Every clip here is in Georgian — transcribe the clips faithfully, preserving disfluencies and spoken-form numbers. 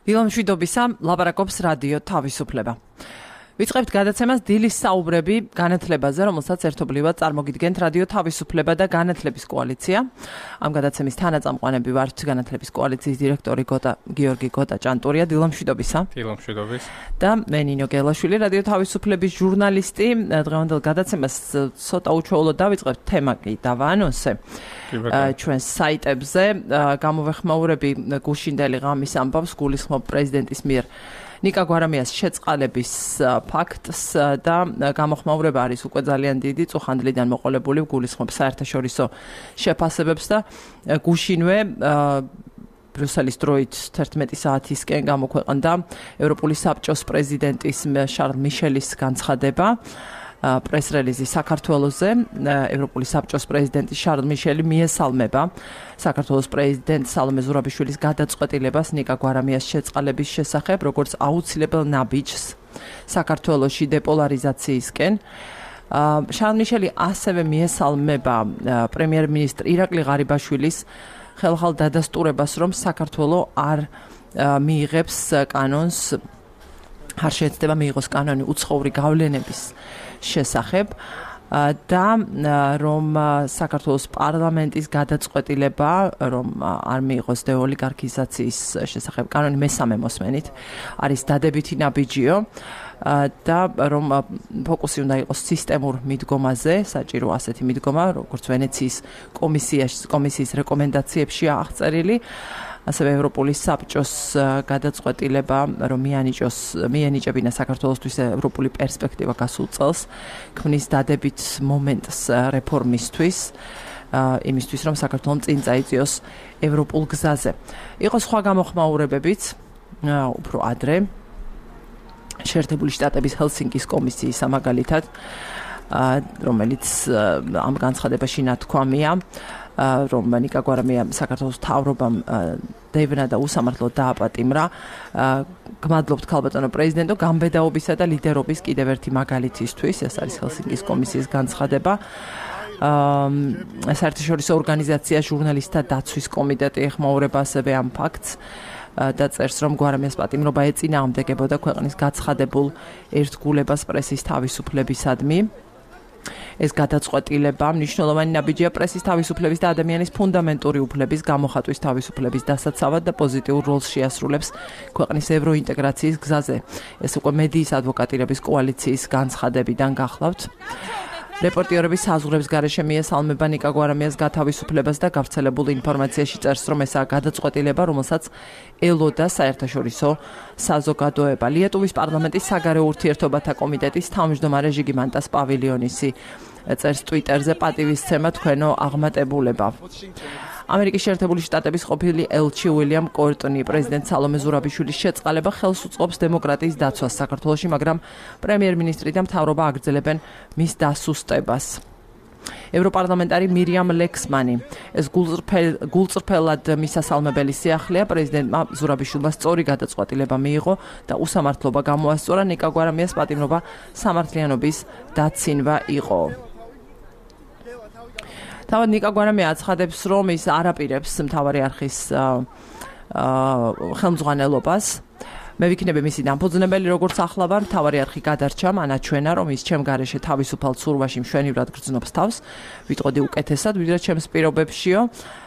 დილამშვიდობისა, ლაპარაკობს რადიო თავისუფლება. ვიწყებთ გადაცემას დილის საუბრები განათლებაზე, რომელსაც ერთობლივად წარმოგიდგენთ რადიო თავისუფლება და განათლების კოალიცია. ამ გადაცემის თანაწამყვანები ვართ განათლების კოალიციის დირექტორი გოტა გიორგი გოტა ჭანტურია. დილამშვიდობისა. დილამშვიდობის. და მე ნინო გელაშვილი, რადიო თავისუფლების ჟურნალისტი. დღევანდელ გადაცემას ცოტა უჩვეულოდ დავიწყებთ თემა კი დავაანონსე. ჩვენს საიტებზე გამოვეხმაურები გუშინდელი ღამის ამბავს გულისხმობ პრეზიდენტის მიერ ნიკა გვარამიას შეწყალების ფაქტს და გამოხმაურება არის უკვე ძალიან დიდი, წუხანდლიდან მოყოლებული, გულისხმობ საერთაშორისო შეფასებებს და გუშინვე ბრიუსელის დროით თერთმეტი საათისკენ გამოქვეყნდა ევროპული საბჭოს პრეზიდენტის შარლ მიშელის განცხადება პრეს-რელიზი საქართველოზე. ევროპული საბჭოს პრეზიდენტი შარლ მიშელი მიესალმება საქართველოს პრეზიდენტ სალომე ზურაბიშვილის გადაწყვეტილებას ნიკა გვარამიას შეწყალების შესახებ, როგორც აუცილებელ ნაბიჯს საქართველოში დეპოლარიზაციისკენ. შარლ მიშელი ასევე მიესალმება პრემიერ-მინისტრ ირაკლი ღარიბაშვილის ხელხალ დადასტურებას, რომ საქართველო არ მიიღებს კანონს, არ შეეცდება მიიღოს კანონი უცხოური გავლენების შესახებ და რომ საქართველოს პარლამენტის გადაწყვეტილება, რომ არ მიიღოს დეოლიგარქიზაციის შესახებ კანონი მესამე მოსმენით, არის დადებითი ნაბიჯიო და რომ ფოკუსი უნდა იყოს სისტემურ მიდგომაზე, საჭირო ასეთი მიდგომა, როგორც ვენეციის კომისიის კომისიის რეკომენდაციებშია აღწერილი. ასევე ევროპული საბჭოს გადაწყვეტილება, რომ მიანიჭოს მიენიჭებინა საქართველოსთვის ევროპული პერსპექტივა გასულ წელს, ქმნის დადებით მომენტს რეფორმისთვის, იმისთვის, რომ საქართველომ წინ წაიწიოს ევროპულ გზაზე. იყო სხვა გამოხმაურებებიც, უფრო ადრე, შეერთებული შტატების ჰელსინკის კომისიის სამაგალითად, რომელიც ამ განცხადებაში ნათქვამია, რომ ნიკა გვარამია საქართველოს მთავრობამ დევნა და უსამართლოდ დააპატიმრა. გმადლობთ ქალბატონო პრეზიდენტო გამბედაობისა და ლიდერობის კიდევ ერთი მაგალითისთვის, ეს არის ჰელსინკის კომისიის განცხადება. საერთაშორისო ორგანიზაცია ჟურნალისტთა დაცვის კომიტეტი ეხმაურება ასევე ამ ფაქტს და წერს, რომ გვარამიას პატიმრობა ეწინააღმდეგებოდა ქვეყნის გაცხადებულ ერთგულებას პრესის თავისუფლებისადმი. ეს გადაწყვეტილება მნიშვნელოვანი ნაბიჯია პრესის თავისუფლების და ადამიანის ფუნდამენტური უფლების გამოხატვის თავისუფლების დასაცავად და პოზიტიურ როლს შეასრულებს ქვეყნის ევროინტეგრაციის გზაზე. ეს უკვე მედიის ადვოკატირების კოალიციის განცხადებიდან გახლავთ. რეპორტიორების საზღვრების გარეშე მიესალმება ნიკა გვარამიას გათავისუფლებას და გავრცელებულ ინფორმაციაში წერს, რომ ესაა გადაწყვეტილება, რომელსაც ელოდა საერთაშორისო საზოგადოება. ლიეტუვის პარლამენტის საგარეო ურთიერთობათა კომიტეტის თავმჯდომარე ჟიგიმანტას პავილიონისი წერს ტვიტერზე, პატივისცემა თქვენო აღმატებულება. ამერიკის შეერთებული შტატების ყოფილი ელჩი უილიამ კორტონი პრეზიდენტ სალომე ზურაბიშვილის შეწყალება ხელს უწყობს დემოკრატიის დაცვას საქართველოში, მაგრამ პრემიერ-მინისტრი და მთავრობა აგრძელებენ მის დასუსტებას. ევროპარლამენტარი მირიამ ლექსმანი ეს გულწრფელად მისასალმებელი სიახლეა, პრეზიდენტმა ზურაბიშვილმა სწორი გადაწყვეტილება მიიღო და უსამართლობა გამოასწორა, ნიკა გვარამიას პატიმრობა სამართლიანობის დაცინვა იყო. თავად ნიკა გვარამია აცხადებს, რომ ის არ აპირებს მთავარი არხის ხელმძღვანელობას. მე ვიქნები მისი დამფუძნებელი, როგორც ახლა ვარ, მთავარი არხი გადარჩა, მანაჩვენა, რომ ის ჩემ გარეშე თავისუფალ ცურვაში მშვენივრად გრძნობს თავს, ვიტყოდი უკეთესად, ვიდრე ჩემს პირობებშიო.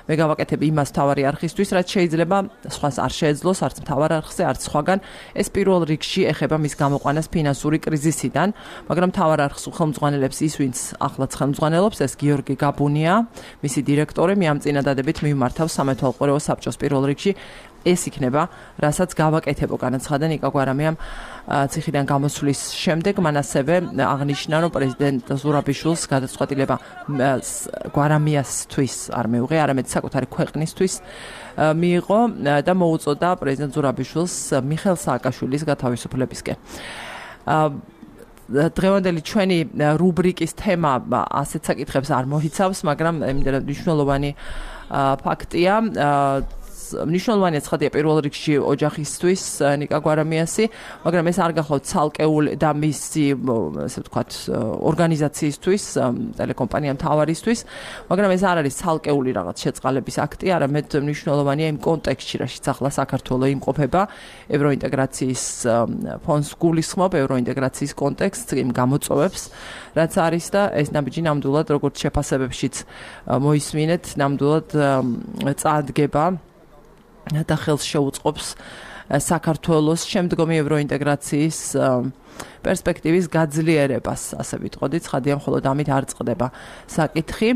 მე გავაკეთებ იმას მთავარი არხისთვის, რაც შეიძლება სხვას არ შეეძლოს, არც მთავარ არხზე, არც სხვაგან. ეს პირველ რიგში ეხება მის გამოყვანას ფინანსური კრიზისიდან, მაგრამ მთავარ არხს ხელმძღვანელებს ის, ვინც ახლაც ხელმძღვანელობს, ეს გიორგი გაბუნია, მისი დირექტორი, მე ამ წინადადებით მიმართავს სამეთვალყურეო საბჭოს პირველ რიგში. ეს იქნება, რასაც გავაკეთებო, განაცხადა ნიკა გვარამიამ ციხიდან გამოსვლის შემდეგ. მან ასევე აღნიშნა, რომ პრეზიდენტ ზურაბიშვილს გადაწყვეტილება გვარამიასთვის არ მეუღია, არამედ საკუთარი ქვეყნისთვის მიიღო და მოუწოდა პრეზიდენტ ზურაბიშვილს მიხეილ სააკაშვილის გათავისუფლებისკენ. დღევანდელი ჩვენი რუბრიკის თემა ასეთ საკითხებს არ მოიცავს, მაგრამ იმდენად მნიშვნელოვანი ფაქტია. მნიშვნელოვანი ცხადია პირველ რიგში ოჯახისთვის ნიკა გვარამიასი, მაგრამ ეს არ გახლავთ ცალკეული და მისი ასე ვთქვათ ორგანიზაციისთვის, ტელეკომპანია მთავარისთვის, მაგრამ ეს არ არის ცალკეული რაღაც შეწყალების აქტი, არამედ მნიშვნელოვანია იმ კონტექსტში, რაშიც ახლა საქართველო იმყოფება ევროინტეგრაციის ფონდს გულისხმობ ევროინტეგრაციის კონტექსტს, იმ გამოწვევებს, რაც არის და ეს ნაბიჯი ნამდვილად როგორც შეფასებებშიც მოისმინეთ, ნამდვილად წარდგება და ხელს შეუწყობს საქართველოს შემდგომი ევროინტეგრაციის პერსპექტივის გაძლიერებას, ასე ვიტყოდი, ცხადია მხოლოდ ამით არ წყდება საკითხი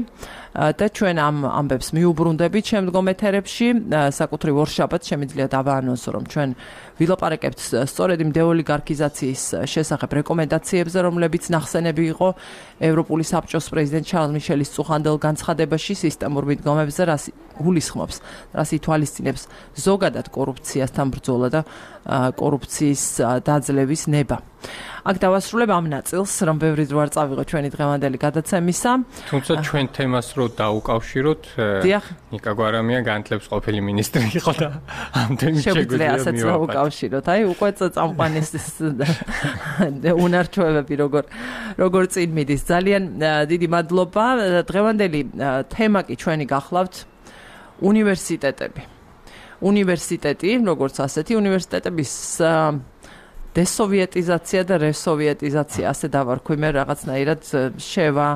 და ჩვენ ამ ამბებს მიუბრუნდებით შემდგომ ეთერებში, საკუთრივ ორშაბათს შემიძლია დავაანონსო, რომ ჩვენ ვილაპარაკებთ სწორედ იმ დეოლიგარქიზაციის შესახებ რეკომენდაციებზე, რომლებიც ნახსენები იყო ევროპული საბჭოს პრეზიდენტ ჩარლზ მიშელის წუხანდელ განცხადებაში სისტემურ მიდგომებზე, რაც გულისხმობს, რაც ითვალისწინებს ზოგადად კორუფციასთან ბრძოლა და კორუფციის დაძლევის ნება. აქ დავასრულებ ამ ნაწილს, რომ ბევრი დრო არ წავიღო ჩვენი დღევანდელი გადაცემისა. თუმცა ჩვენ თემას რო დაუკავშიროთ, ნიკა გვარამია განათლების ყოფილი მინისტრი იყო და ამდენი შეგვიძლია ასეც დაუკავშიროთ. აი, უკვე წამყვანის უნარჩვევები როგორ როგორ წინ მიდის. ძალიან დიდი მადლობა. დღევანდელი თემა კი ჩვენი გახლავთ უნივერსიტეტები. უნივერსიტეტი, როგორც ასეთი, უნივერსიტეტების დესოვიეტიზაცია და რესოვიეტიზაცია, ასე დავარქვი მე რაღაცნაირად შევა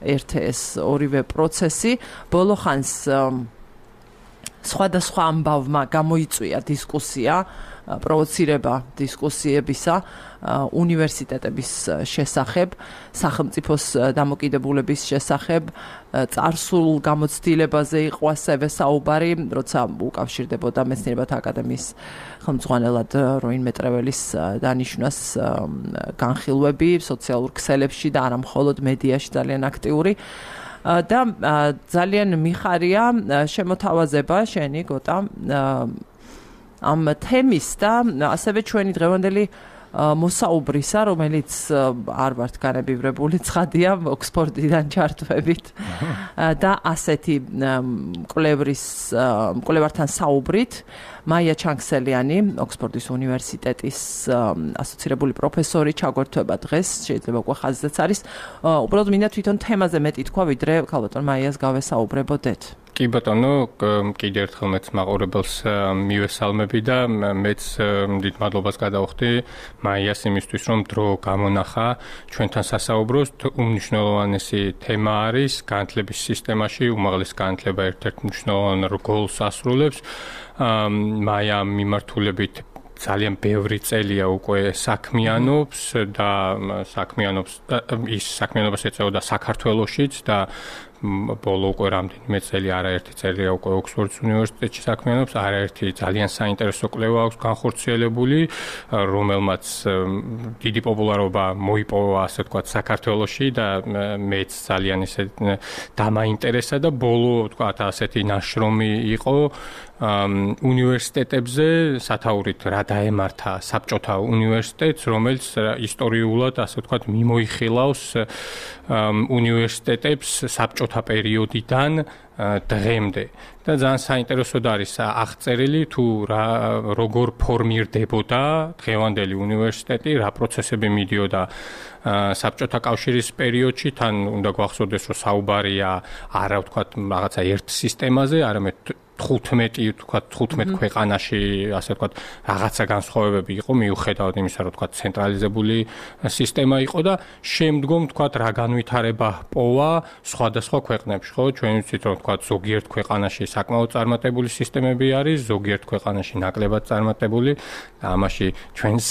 ერთ ეს ორივე პროცესი. ბოლო ხანს სხვადასხვა ამბავმა გამოიწვია დისკუსია, პროვოცირება დისკუსიებისა უნივერსიტეტების შესახებ, სახელმწიფოს დამოკიდებულების შესახებ, წარსულ გამოცდილებაზე იყო ასევე საუბარი, როცა უკავშირდებოდა მეცნიერებათა აკადემიის ხელმძღვანელად როინ მეტრეველის დანიშვნას განხილვები სოციალურ ქსელებში და არა მხოლოდ მედიაში ძალიან აქტიური. და ძალიან მიხარია შემოთავაზება შენი გოტა ამ თემის და ასევე ჩვენი დღევანდელი მოსაუბრისა, რომელიც არ ვართ განებივრებული, ცხადია ოქსფორდიდან ჩართვებით და ასეთი მკვლევრის მკვლევართან საუბრით, მაია ჩანგსელიანი, ოქსფორდის უნივერსიტეტის ასოცირებული პროფესორი ჩაგვერთვება დღეს, შეიძლება უკვე ხაზზეც არის. უბრალოდ მინდა თვითონ თემაზე მეტი თქვა, ვიდრე ქალბატონ მაიას გავესაუბრებოდეთ. კი ბატონო, კიდევ ერთხელ მეც მაყურებელს მივესალმები და მეც დიდ მადლობას გადავხდი მაიას იმისთვის, რომ დრო გამონახა ჩვენთან სასაუბროს. უმნიშვნელოვანესი თემა არის განათლების სისტემაში, უმაღლესი განათლება ერთ-ერთ მნიშვნელოვან როლს ასრულებს. მაია მიმართულებით ძალიან ბევრი წელია უკვე საქმიანობს და საქმიანობს ის საქმიანობას ეწეოდა საქართველოშიც და ბოლო უკვე რამდენიმე წელი არაერთი წელია უკვე ოქსფორდის უნივერსიტეტში საქმიანობს, არაერთი ძალიან საინტერესო კვლევა აქვს განხორციელებული, რომელმაც დიდი პოპულარობა მოიპოვა, ასე ვთქვათ, საქართველოში და მეც ძალიან ისე დამაინტერესა და ბოლო, ვთქვათ, ასეთი ნაშრომი იყო უნივერსიტეტებზე, სათაურით რა დაემართა საბჭოთა უნივერსიტეტს, რომელიც ისტორიულად, ასე ვთქვათ, მიმოიხილავს უნივერსიტეტებს საბჭოთა პერიოდიდან დღემდე. და ძალიან საინტერესოდ არის აღწერილი თუ რა როგორ ფორმირდებოდა დღევანდელი უნივერსიტეტი, რა პროცესები მიდიოდა საბჭოთა კავშირის პერიოდში, თან უნდა გვახსოვდეს, რომ საუბარია არა ვთქვათ რაღაცა ერთ სისტემაზე, არამედ თხუთმეტი, ვთქვათ, თხუთმეტ ქვეყანაში, ასე ვთქვათ, რაღაცა განსხვავებები იყო, მიუხედავად იმისა, რომ ვთქვათ, ცენტრალიზებული სისტემა იყო და შემდგომ, ვთქვათ, რა განვითარება პოვა სხვადასხვა ქვეყნებში, ხო? ჩვენ ვიცით, რომ ვთქვათ, ზოგიერთ ქვეყანაში საკმაოდ წარმატებული სისტემები არის, ზოგიერთ ქვეყანაში ნაკლებად წარმატებული და ამაში ჩვენს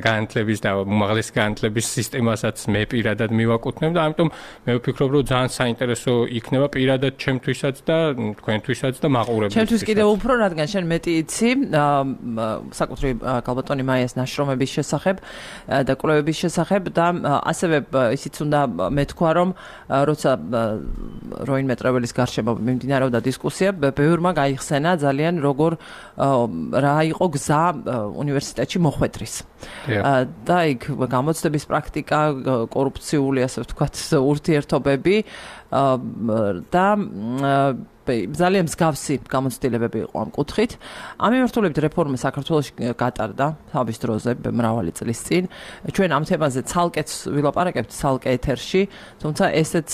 განათლების და უმაღლესი განათლების სისტემასაც მე პირადად მივაკუთვნებ და ამიტომ მე ვფიქრობ, რომ ძალიან საინტერესო იქნება პირადად ჩემთვისაც და თქვენთვისაც და მაყურებელთვისაც. ჩემთვის კიდევ უფრო, რადგან შენ მეტი იცი საკუთრივ ქალბატონი მაიას ნაშრომების შესახებ და კვლევების შესახებ და ასევე ისიც უნდა მეთქვა, რომ როცა როინ მეტრეველის გარშემო მიმდინარეობდა დისკუსია, ბევრმა გაიხსენა ძალიან როგორ რა იყო გზა უნივერსიტეტში მოხვედრის. და იქ გამოცდების პრაქტიკა, კორუფციული, ასე ვთქვათ, ურთიერთობები და ძალიან მსგავსი გამოცდილებები იყო ამ კუთხით. ამ მიმართულებით რეფორმა საქართველოში გატარდა თავის დროზე მრავალი წლის წინ. ჩვენ ამ თემაზე ცალკეც ვილაპარაკებთ ცალკე ეთერში, თუმცა ესეც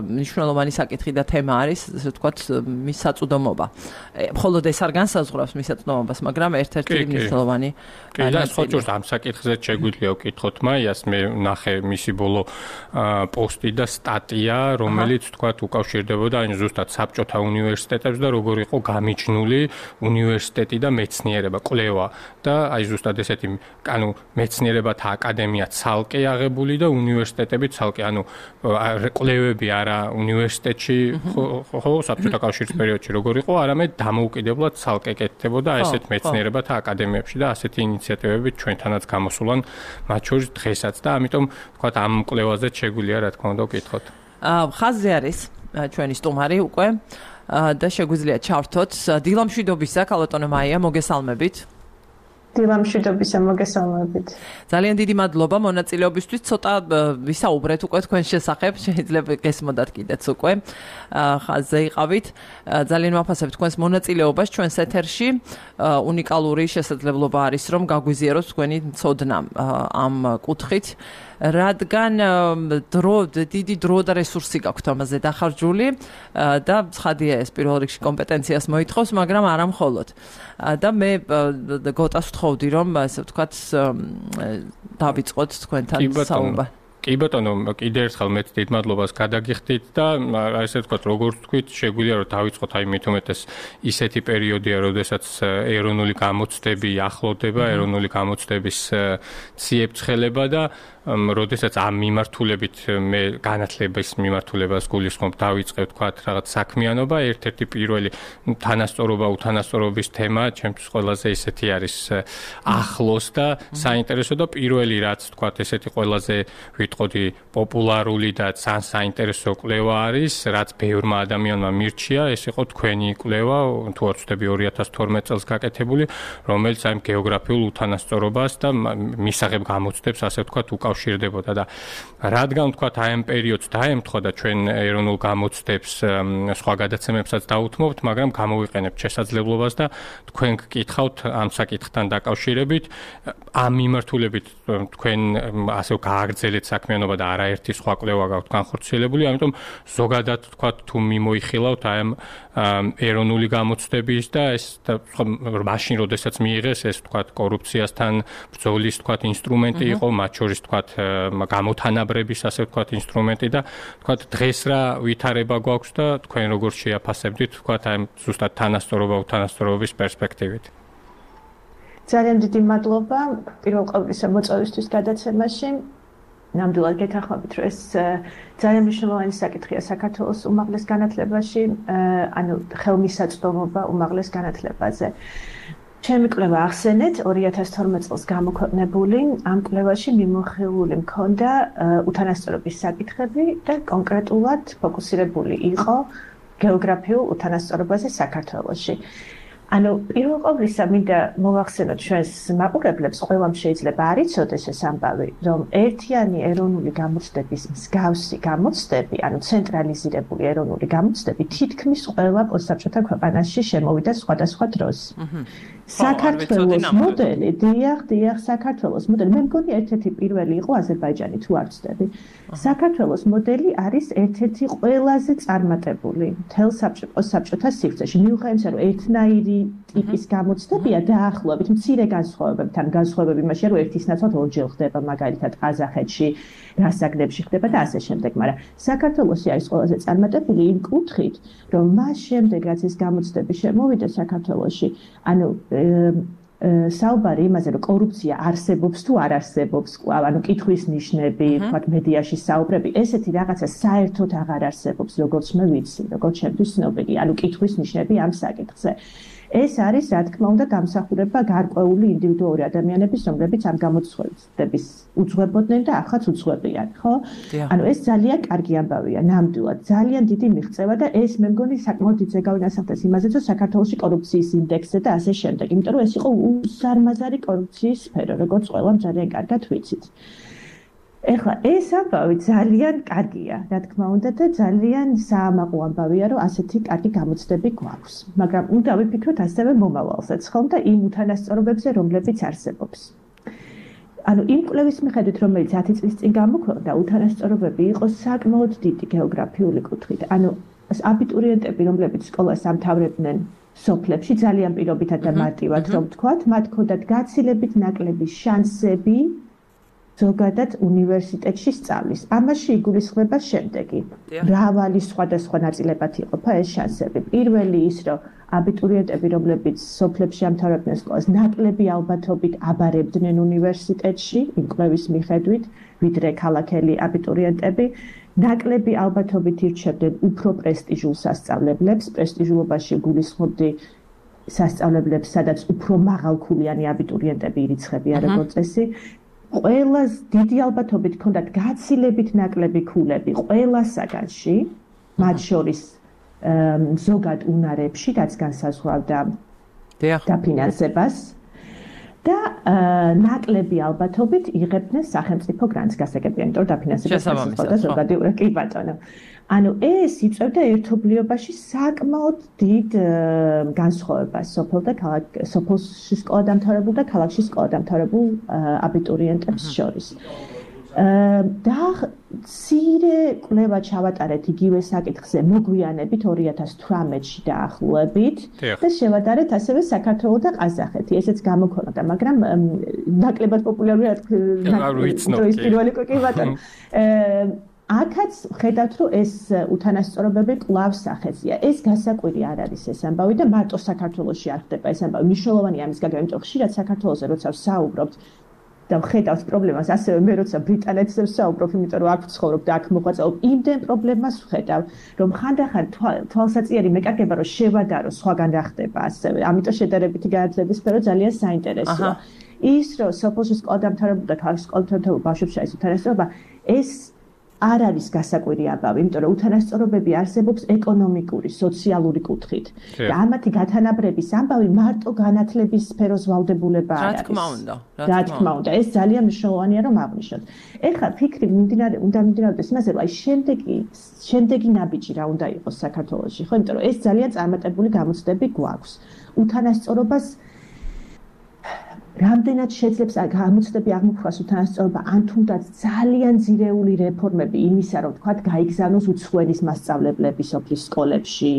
მნიშვნელოვანი საკითხი და თემა არის, ასე ვთქვათ, მის საწვდომობა. მხოლოდ ეს არ განსაზღვრავს მის საწვდომობას, მაგრამ ერთ-ერთი მნიშვნელოვანი კი და ხოჭურს ამ საკითხზე შეგვიძლია ვკითხოთ მაიას, მე ნახე მისი ბოლო პოსტი და სტატია, რომელიც ვთქვათ უკავშირდებოდა ან ზუსტად საბჭოთა უნივერსიტეტებს და როგორ იყო გამიჩნული უნივერსიტეტი და მეცნიერება, კვლევა და აი ზუსტად ესეთი, ანუ მეცნიერებათა აკადემია ცალკე აღებული და უნივერსიტეტები ცალკე, ანუ კვლევები არა უნივერსიტეტში, ხო, საბჭოთა კავშირის პერიოდში როგორ იყო, არამედ დამოუკიდებლად ცალკე კეთდებოდა ესეთ მეცნიერებათა აკადემიებში და ასეთი ინიციატივები ჩვენთანაც გამოსულან, მათ შორის დღესაც და ამიტომ ვთქვათ ამ კვლევაზე შეგვიძლია რა თქმა უნდა ვკითხოთ. ხაზზე არის ჩვენი სტუმარი უკვე და შეგვიძლია ჩავრთოთ. დილამშვიდობისა, ქალბატონო მაია, მოგესალმებით. დილამშვიდობისა, მოგესალმებით. ძალიან დიდი მადლობა მონაწილეობისთვის. ცოტა ვისაუბრეთ უკვე თქვენ შესახებ, შეიძლება გესმოდათ კიდეც უკვე. ხაზზე იყავით. ძალიან ვაფასებ თქვენს მონაწილეობას ჩვენს ეთერში. უნიკალური შესაძლებლობა არის, რომ გაგვიზიაროთ თქვენი ცოდნა ამ კუთხით. რადგან დრო დიდი დრო და რესურსი გაქვთ ამაზე დახარჯული და ცხადია ეს პირველ რიგში კომპეტენციას მოითხოვს, მაგრამ არა მხოლოდ. და მე გოტას ვთხოვდი, რომ ასე ვთქვათ დავიწყოთ თქვენთან საუბარი. კი ბატონო, კიდე ერთხელ მეც დიდ მადლობას გადაგიხდით და ასე ვთქვათ, როგორც თქვით, შეგვიძლია რომ დავიწყოთ აი მით უმეტეს ისეთი პერიოდია, როდესაც ეროვნული გამოცდები ახლოვდება, ეროვნული გამოცდების ციებ-ცხელება და როდესაც ამ მიმართულებით მე განათლების მიმართულებას გულისხმობ დავიწყე ვთქვათ რაღაც საქმიანობა, ერთ-ერთი პირველი თანასწორობა, უთანასწორობის თემა ჩემთვის ყველაზე ისეთი არის ახლოს და საინტერესო და პირველი რაც ვთქვათ ესეთი ყველაზე ვიტყოდი პოპულარული და ძალიან საინტერესო კვლევა არის, რაც ბევრმა ადამიანმა მირჩია, ეს იყო თქვენი კვლევა, თუ არ ვცდები ორი ათას თორმეტ წელს გაკეთებული, რომელიც აი გეოგრაფიულ უთანასწორობას და მისაღებ გამოცდებს ასე ვთქვათ უკავშირდებოდა და რადგან ვთქვათ აი ამ პერიოდს დაემთხვა და ჩვენ ეროვნულ გამოცდებს სხვა გადაცემებსაც დაუთმობთ, მაგრამ გამოვიყენებთ შესაძლებლობას და თქვენ გკითხავთ ამ საკითხთან დაკავშირებით, ამ მიმართულებით თქვენ ასე გააგრძელეთ საქმიანობა და არაერთი სხვა კვლევა გაქვთ განხორციელებული, ამიტომ ზოგადად ვთქვათ თუ მიმოიხილავთ აი ამ ეროვნული გამოცდების და ეს მაშინ როდესაც მიიღეს ეს ვთქვათ კორუფციასთან ბრძოლის ვთქვათ ინსტრუმენტი იყო, მათ შორის ვთქვათ გამოთანაბრების ასე ვთქვათ ინსტრუმენტი და ვთქვათ დღეს რა ვითარება გვაქვს და თქვენ როგორ შეაფასებდით ვთქვათ აი ზუსტად თანასწორობა უთანასწორობის პერსპექტივით. ძალიან დიდი მადლობა პირველ ყოვლისა მოწვევისთვის გადაცემაში. ნამდვილად გეთანხმებით, რომ ეს ძალიან მნიშვნელოვანი საკითხია საქართველოს უმაღლეს განათლებაში, ანუ ხელმისაწვდომობა უმაღლეს განათლებაზე. ჩემი კვლევა ახსენეთ ორი ათას თორმეტ წელს გამოქვეყნებული, ამ კვლევაში მიმოხილული მქონდა უთანასწორობის საკითხები და კონკრეტულად ფოკუსირებული იყო გეოგრაფიულ უთანასწორობაზე საქართველოში. ანუ პირველ ყოვლისა მინდა მოვახსენოთ ჩვენს მაყურებლებს, ყველამ შეიძლება არ იცოდეს ეს ამბავი, რომ ერთიანი ეროვნული გამოცდების მსგავსი გამოცდები, ანუ ცენტრალიზირებული ეროვნული გამოცდები თითქმის ყველა პოსტსაბჭოთა ქვეყანაში შემოვიდა სხვადასხვა დროს. საქართველოს მოდელი, დიახ, დიახ, საქართველოს მოდელი, მე მგონი ერთ-ერთი პირველი იყო აზერბაიჯანი, თუ არ ვცდები. საქართველოს მოდელი არის ერთ-ერთი ყველაზე წარმატებული მთელ პოსტსაბჭოთა სივრცეში. მიუხედავად იმისა, რომ ერთნაირი ტიპის გამოცდებია დაახლოებით მცირე განსხვავებებთან, განსხვავებები იმაშია, რომ ერთის ნაცვლად ორჯერ ხდება, მაგალითად ყაზახეთში, რასაგნებში ხდება და ასე შემდეგ, მაგრამ საქართველოსი არის ყველაზე წარმატებული იმ კუთხით, რომ მას შემდეგ რაც ეს გამოცდები შემოვიდა საქართველოში, ანუ საუბარი იმაზე, რომ კორუფცია არსებობს თუ არ არსებობს, კვლავ, ანუ კითხვის ნიშნები, ვთქვათ, მედიაში საუბრები, ესეთი რაღაცა საერთოდ აღარ არსებობს, როგორც მე ვიცი, როგორც ჩემთვის ცნობილი, ანუ კითხვის ნიშნები ამ საკითხზე. ეს არის, რა თქმა უნდა, დამსახურება გარკვეული ინდივიდუალური ადამიანების, რომლებიც ამ გამოცხადების უძღვებოდნენ და ახაც უძღვებიან, ხო? ანუ ეს ძალიან კარგი ამბავია, ნამდვილად, ძალიან დიდი მიღწევა და ეს მე მგონი საკმაოდ დიდ ზეგავინასახდეს იმაზე, რომ საქართველოში კორუფციის ინდექსზე და ასე შემდეგ, იმიტომ რომ ეს იყო უზარმაზარი კორუფციის სფერო, როგორც ყველამ ძალიან კარგად ვიცით. ეხლა ეს ამბავი ძალიან კარგია, რა თქმა უნდა და ძალიან საამაყო ამბავია, რომ ასეთი კარგი გამოცდები გვაქვს. მაგრამ უნდა ვიფიქროთ ასევე მომავალსაც, ხომ და იმ უთანასწორობებზე, რომლებიც არსებობს. ანუ იმ კვლევის მიხედვით, რომელიც ათი წლის წინ გამოქვეყნდა, უთანასწორობები იყო საკმაოდ დიდი გეოგრაფიული კუთხით. ანუ აბიტურიენტები, რომლებიც სკოლას ამთავრებდნენ სოფლებში, ძალიან პირობითად და მარტივად, რომ ვთქვათ, მათ ჰქონდათ გაცილებით ნაკლები შანსები ზოგადად უნივერსიტეტში სწავლის. ამაში იგულისხმება შემდეგი. მრავალი სხვადასხვა ნაწილებად იყოფა ეს შანსები. პირველი ის, რომ აბიტურიენტები, რომლებიც სოფლებში ამთავრებდნენ სკოლას, ნაკლები ალბათობით აბარებდნენ უნივერსიტეტში, იმ კვლევის მიხედვით, ვიდრე ქალაქელი აბიტურიენტები, ნაკლები ალბათობით ირჩევდნენ უფრო პრესტიჟულ სასწავლებლებს, პრესტიჟულობაში გულისხმობდი სასწავლებლებს, სადაც უფრო მაღალქულიანი აბიტურიენტები ირიცხებიან როგორც წესი. ყველას დიდი ალბათობით ჰქონდათ გაცილებით ნაკლები ქულები ყველა საგანში, მათ შორის ზოგად უნარებში, რაც განსაზღვრავდა დაფინანსებას და ნაკლები ალბათობით იღებდნენ სახელმწიფო გრანტს გასაგებია, იმიტომ რომ დაფინანსებას განსაზღვრავდა ზოგადი ურა კი ბატონო. ანუ ეს იწევდა ერთობლიობაში საკმაოდ დიდ განსხვავებას სოფელ და ქალაქ სოფელში სკოლა დამთავრებულ და ქალაქში სკოლა დამთავრებულ აბიტურიენტებს შორის. და მცირე კვლევა ჩავატარეთ იგივე საკითხზე მოგვიანებით ორი ათას თვრამეტში დაახლოებით და შევადარეთ ასევე საქართველო და ყაზახეთი. ესეც გამოქვეყნდა, მაგრამ ნაკლებად პოპულარულია ის პირველი კი ბატონო. აქაც ხედავთ, რომ ეს უთანასწორობები კვლავ სახეზია. ეს გასაკვირი არ არის ეს ამბავი და მარტო საქართველოში არ ხდება ეს ამბავი. მნიშვნელოვანია ამის გაგება, იმიტომ რომ ხშირად საქართველოზე როცა ვსაუბრობთ და ვხედავთ პრობლემას, ასევე მე როცა ბრიტანეთზე ვსაუბრობ, იმიტომ რომ აქ ვცხოვრობ და აქ მოღვაწეობ, იმდენ პრობლემას ვხედავ, რომ ხანდახან თვალსაწიერი მეკარგება, რომ შევადარო სხვაგან რა ხდება ასევე. ამიტომ შედარებითი განათლების სფერო ძალიან საინტერესოა. ის რომ სოფელში სკოლა დამთავრებულ და ქალაქში სკოლა დამთავრებულ ბავშვებს შორის უთანასწორობა, ეს არ არის გასაკვირი ამბავი, იმიტომ რომ უთანასწორობები არსებობს ეკონომიკური, სოციალური კუთხით. და ამათი გათანაბრების ამბავი მარტო განათლების სფეროს ვალდებულება არ არის. რა თქმა უნდა, რა თქმა უნდა, ეს ძალიან მნიშვნელოვანია რომ აღვნიშნოთ. ეხლა ფიქრი მიმდინარე უნდა მიმდინარეობდეს იმაზე, რომ აი შემდეგი შემდეგი ნაბიჯი რა უნდა იყოს საქართველოში, ხო? იმიტომ რომ ეს ძალიან წარმატებული გამოცდები გვაქვს. უთანასწორობას რამდენად შეძლებს გამოცდები აღმოფხვას უთანასწორობა, ან თუნდაც ძალიან ძირეული რეფორმები იმისა, რომ თქვათ გაიგზავნოს უცხოენის მასწავლებლები სოფლის სკოლებში,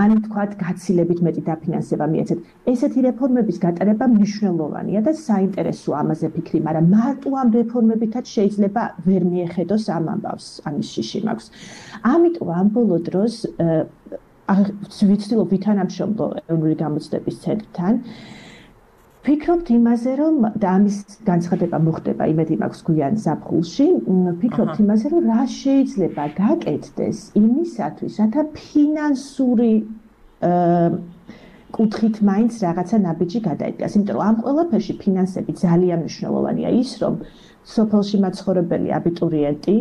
ან თქვათ გაცილებით მეტი დაფინანსება მიეცეთ. ესეთი რეფორმების გატარება მნიშვნელოვანია და საინტერესოა ამაზე ფიქრი, მაგრამ მარტო ამ რეფორმებითაც შეიძლება ვერ მიეხედოს ამ ამბავს, ამის შიში მაქვს. ამიტომ ამ ბოლო დროს ვიცდილობ ვითანამშრომლო ეროვნული გამოცდების ცენტრთან. ფიქრობთ იმაზე, რომ და ამის განცხადება მოხდება იმედი მაქვს გვიან ზაფხულში, ფიქრობთ იმაზე, რომ რა შეიძლება გაკეთდეს იმისათვის, რათა ფინანსური კუთხით მაინც რაღაცა ნაბიჯი გადაიდგას. იმიტომ რომ ამ ყველაფერში ფინანსები ძალიან მნიშვნელოვანია. ის რომ სოფელში მაცხოვრებელი აბიტურიენტი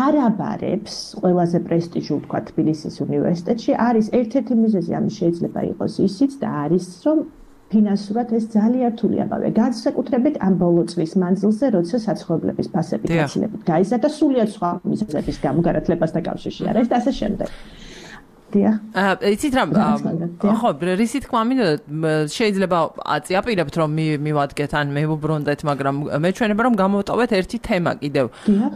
არ აბარებს ყველაზე პრესტიჟულ თქვა თბილისის უნივერსიტეტში, არის ერთ-ერთი მიზეზი ამის შეიძლება იყოს ისიც და არის რომ ფინანსურად ეს ძალიან რთული ამბავია. განსაკუთრებით ამ ბოლო წლის მანძილზე, როცა საცხოვრებლების ფასები გაცილებით გაიზარდა, სულიად სხვა მიზეზების გამო განათლებასთან კავშირში არა ეს და ასე შემდეგ. დიახ. აა, იცით რა, ხო, რისი თქმა მინდოდა, შეიძლება აწიაპირებთ რომ მივადგეთ ან მევუბრუნდეთ, მაგრამ მეჩვენება რომ გამოვტოვეთ ერთი თემა კიდევ.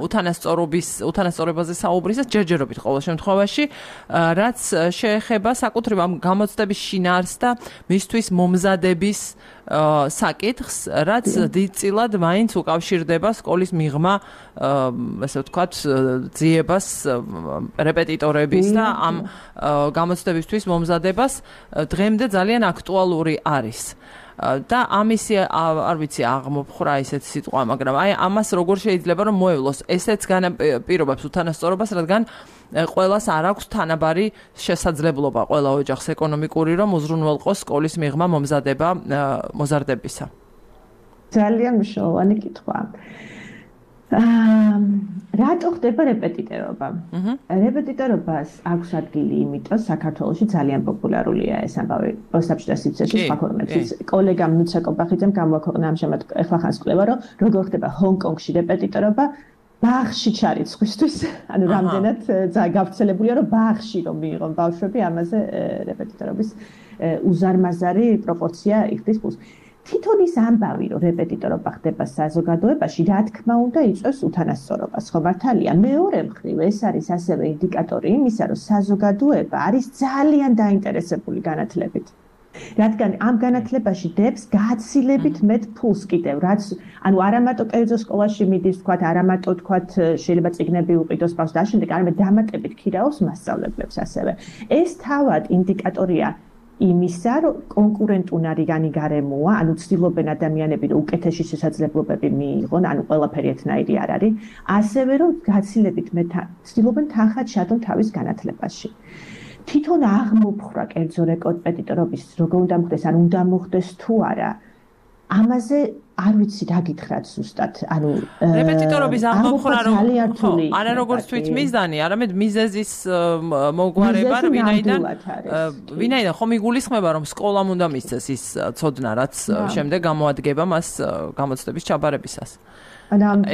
უთანასწორობის, უთანასწორობაზე საუბრისას ჯერჯერობით ყოველ შემთხვევაში, რაც შეეხება საკუთრივ ამ გამოცდების შინაარსს და მისთვის მომზადების საკითხს, რაც დიდწილად მაინც უკავშირდება სკოლის მიღმა, ასე ვთქვათ, ძიებას რეპეტიტორების და ამ გამოცდებისთვის მომზადებას დღემდე ძალიან აქტუალური არის. და ამისი არ ვიცი აღმოფხრა ისეთ სიტყვა, მაგრამ აი ამას როგორ შეიძლება რომ მოევლოს ესეც განაპირობებს უთანასწორობას, რადგან ყველას არ აქვს თანაბარი შესაძლებლობა ყველა ოჯახს ეკონომიკური, რომ უზრუნველყოს სკოლის მიღმა მომზადება მოზარდებისა. ძალიან მნიშვნელოვანი კითხვა. აა რატო ხდება რეპეტიტორობა? რეპეტიტორობას აქვს ადგილი, იმიტომ საქართველოში ძალიან პოპულარულია ეს ამბავი. საბჭოთა სივრცეში სხვა ქვეყნებშიც. კოლეგამ ნუცა კობახიძემ გამოაქვეყნა ამჟამად ეხლახანს კვლევა, რომ როგორ ხდება ჰონგ-კონგში რეპეტიტორობა, ბაღში ჩარიცხვისთვის, ანუ რამდენად გავრცელებულია, რომ ბაღში რომ მიიღონ ბავშვები, ამაზე რეპეტიტორობის უზარმაზარი პროპორცია იხდის პლუს. თვითონ ის ამბავი, რომ რეპეტიტორობა ხდება საზოგადოებაში, რა თქმა უნდა, იწვევს უთანასწორობას, ხო მართალია? მეორე მხრივ, ეს არის ასევე ინდიკატორი იმისა, რომ საზოგადოება არის ძალიან დაინტერესებული განათლებით. რადგან ამ განათლებაში დებს გაცილებით მეტ ფულს კიდევ, რაც ანუ არა მარტო კერძო სკოლაში მიდის, თქვათ, არა მარტო თქვათ, შეიძლება წიგნები უყიდოს ბავშვს და ამავდროულად არამედ დამატებით ქირაობს მასწავლებლებს ასევე. ეს თავად ინდიკატორია იმისა, რომ კონკურენტუნარიანი გარემოა, ანუ ცდილობენ ადამიანები, რომ უკეთესი შესაძლებლობები მიიღონ, ანუ ყველაფერი ერთნაირი არ არის, ასევე რომ გაცილებით მეტ ცდილობენ თანხად ჩადონ თავის განათლებაში. თვითონ აღმოფხვრა კერძო რეპეტიტორობის როგორ უნდა მოხდეს, ან უნდა მოხდეს თუ არა, ამაზე არ ვიცი რა გითხრათ ზუსტად. ანუ რეპეტიტორობის აღმოფხვრა რომ არა როგორც თვით მიზანი, არამედ მიზეზის მოგვარება, ვინაიდან ვინაიდან ხომ იგულისხმება, რომ სკოლამ უნდა მისცეს ის ცოდნა, რაც შემდეგ გამოადგება მას გამოცდების ჩაბარებისას.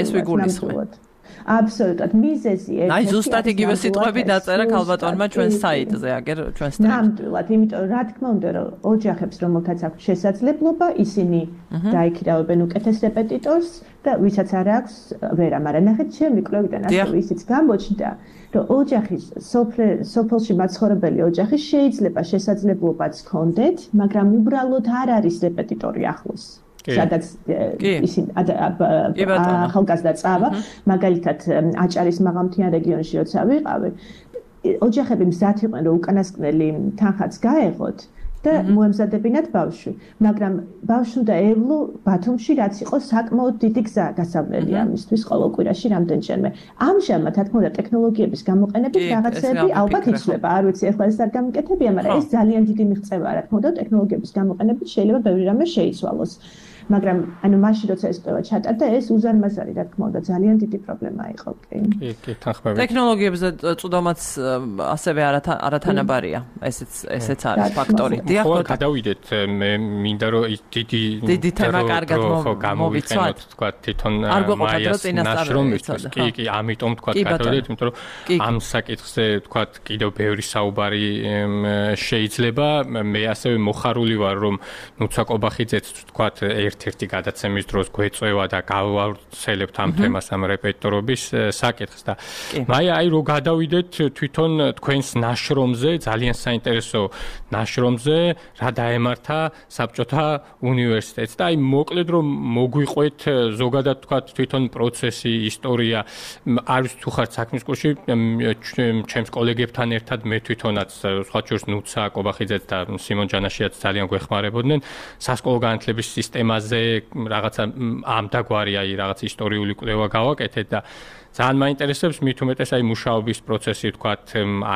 ეს ვიგულისხმებ. Absolutely. მიზეზი ერთ. აი ზუსტად იგივე სიტყვები დაწერა ქალბატონმა ჩვენ საიტზე, აგერ ჩვენ სტეнд. ნამდვილად, იმიტომ რა თქმა უნდა, რომ ოჯახებს რომელთაც აქვს შესაძლებლობა, ისინი დაიქირავებენ უკეთეს რეპეტიტორს და ვისაც არ აქვს, ვერა, მაგრამ ნახეთ, ჩემი კვლევიდან ასევე ისიც გამოჩნდა, რომ ოჯახის სოფელში მაცხოვრებელი ოჯახი შეიძლება შესაძლებლობაც ჰქონდეთ, მაგრამ უბრალოდ არ არის რეპეტიტორი ახლოს. სადაც ისინი ახალგაზრდა წავა, მაგალითად აჭარის მაღალმთიან რეგიონში როცა ვიყავი, ოჯახები მზად იყვნენ, რომ უკანასკნელი თანხაც გაეღოთ და მოემზადებინათ ბავშვი, მაგრამ ბავშვი უნდა ევლო ბათუმში, რაც იყო საკმაოდ დიდი გზა გასავლელი ამისთვის ყოველ კვირაში რამდენჯერმე. ამჟამად, რა თქმა უნდა, ტექნოლოგიების გამოყენებით რაღაცები ალბათ იცვლება, არ ვიცი, ახლა ეს არ გამიკეთებია, მაგრამ ეს ძალიან დიდი მიღწევაა, რა თქმა უნდა, ტექნოლოგიების გამოყენებით შეიძლება ბევრი რამე შეიცვალოს. მაგრამ ანუ მაშინ როცა ეს კვლევა ჩატარდა, ეს უზარმაზარი, რა თქმა უნდა, ძალიან დიდი პრობლემა იყო. კი, კი, თანხმები. ტექნოლოგიებზე წვდომაც ასევე არათანაბარია. ესეც ესეც არის ფაქტორი. დიახ, ხო, გადავიდეთ, მე მინდა რომ დიდი დიდი თემა კარგად გამოვიყენოთ, თქვა თვითონ მაიას ნაშრომისთვის. კი, კი, ამიტომ თქვა გადავიდეთ, იმიტომ რომ ამ საკითხზე თქვა კიდევ ბევრი საუბარი შეიძლება. მე ასევე მოხარული ვარ, რომ ნუცა კობახიძეც თქვა ერთ-ერთი გადაცემის დროს გვეწევა და გავავრცელებთ ამ თემას, ამ რეპეტიტორობის საკითხს და მაია, აი რო გადავიდეთ თვითონ თქვენს ნაშრომზე, ძალიან საინტერესო ნაშრომზე, რა დაემართა საბჭოთა უნივერსიტეტს და აი მოკლედ რომ მოგვიყვეთ ზოგადად თქვა თვითონ პროცესი, ისტორია, არის თუ ხართ საქმის კურსში, ჩემს კოლეგებთან ერთად მე თვითონაც სხვა შორის ნუცა კობახიძეც და სიმონ ჯანაშიაც ძალიან გვეხმარებოდნენ სასკოლო განათლების სისტემაზე რაღაცა ამ დაგვარი აი რაღაც ისტორიული კვლევა გავაკეთეთ და ძალიან მაინტერესებს მით უმეტეს აი მუშაობის პროცესი, თქვათ,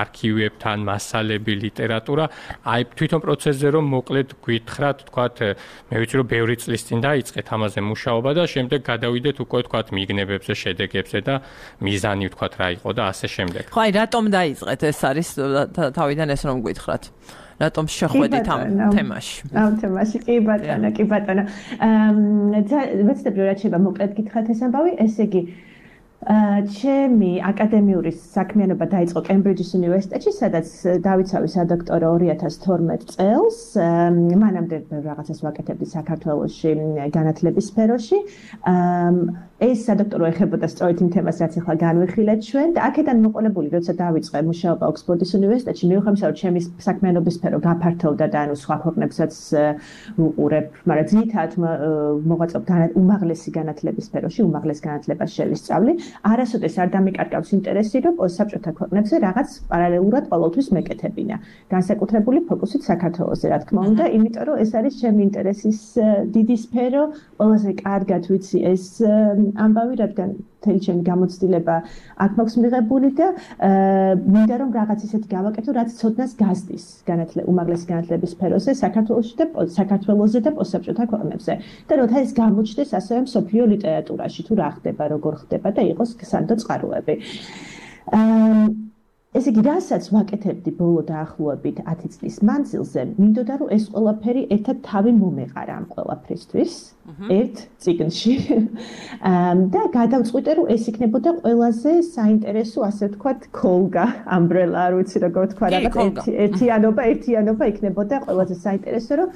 არქივებთან, მასალები, ლიტერატურა, აი თვითონ პროცესზე რომ მოკლედ გითხრათ, თქვათ, მე ვიცი რომ ბევრი წლის წინ დაიწყეთ ამაზე მუშაობა და შემდეგ გადავიდეთ უკვე თქვათ მიგნებებზე, შედეგებზე და მიზანი თქვათ რა იყო და ასე შემდეგ. ხო, აი რატომ დაიწყეთ? ეს არის თავიდან ეს რომ გითხრათ. რატომ შეხვედით ამ თემაში? ამ თემაში კი ბატონო, კი ბატონო. აა ვეცდები რა შეიძლება მოკლედ გითხრათ ეს ამბავი, ესე იგი ჩემი აკადემიური საქმიანობა დაიწყო კემბრიჯის უნივერსიტეტში, სადაც დავიცავი სადოქტორო ორი ათას თორმეტ წელს. მანამდე რაღაცას ვაკეთებდი საქართველოში განათლების სფეროში. ეს სადოქტორო ეხებოდა სწორედ იმ თემას, რაც ახლა განვიხილეთ ჩვენ და აქედან მოყოლებული, როცა დავიწყე მუშაობა ოქსფორდის უნივერსიტეტში, მიუხედავად ჩემი საქმიანობის სფერო გაფართოვდა და ანუ სხვა ქვეყნებსაც უყურებ, მაგრამ ძირითადად მოღვაწეობ უმაღლესი განათლების სფეროში, უმაღლეს განათლებას შევისწავლი. არასოდეს არ დამიკარგავს ინტერესი, რომ საბჭოთა ქვეყნებზე რაღაც პარალელურად ყოველთვის მეკეთებინა. განსაკუთრებული ფოკუსით საქართველოზე, რა თქმა უნდა, იმიტომ რომ ეს არის ჩემი ინტერესის დიდი სფერო, ყველაზე კარგად ვიცი ეს ამბავი, რადგან მთელი ჩემი გამოცდილება აქ მაქვს მიღებული და მინდა რომ რაღაც ისეთი გავაკეთო, რაც ცოდნას გასდის განათლება, უმაღლესი განათლების სფეროზე, საქართველოში და საქართველოზე და პოსტსაბჭოთა ქვეყნებზე. და როცა ეს გამოჩნდეს ასევე მსოფლიო ლიტერატურაში, თუ რა ხდება, როგორ ხდება და იყოს სანდო წყაროები. ესე იგი, რასაც ვაკეთებდი ბოლო დაახლოებით ათი წლის მანძილზე, მინდოდა რომ ეს ყველაფერი ერთად თავი მომეყარა ამ ყველაფრისთვის, ერთ წიგნში. და გადავწყვიტე, რომ ეს იქნებოდა ყველაზე საინტერესო, ასე ვთქვათ, ქოლგა, ამბრელა, არ ვიცი როგორ ვთქვა, რაღაც ერთიანობა, ერთიანობა იქნებოდა ყველაზე საინტერესო, რომ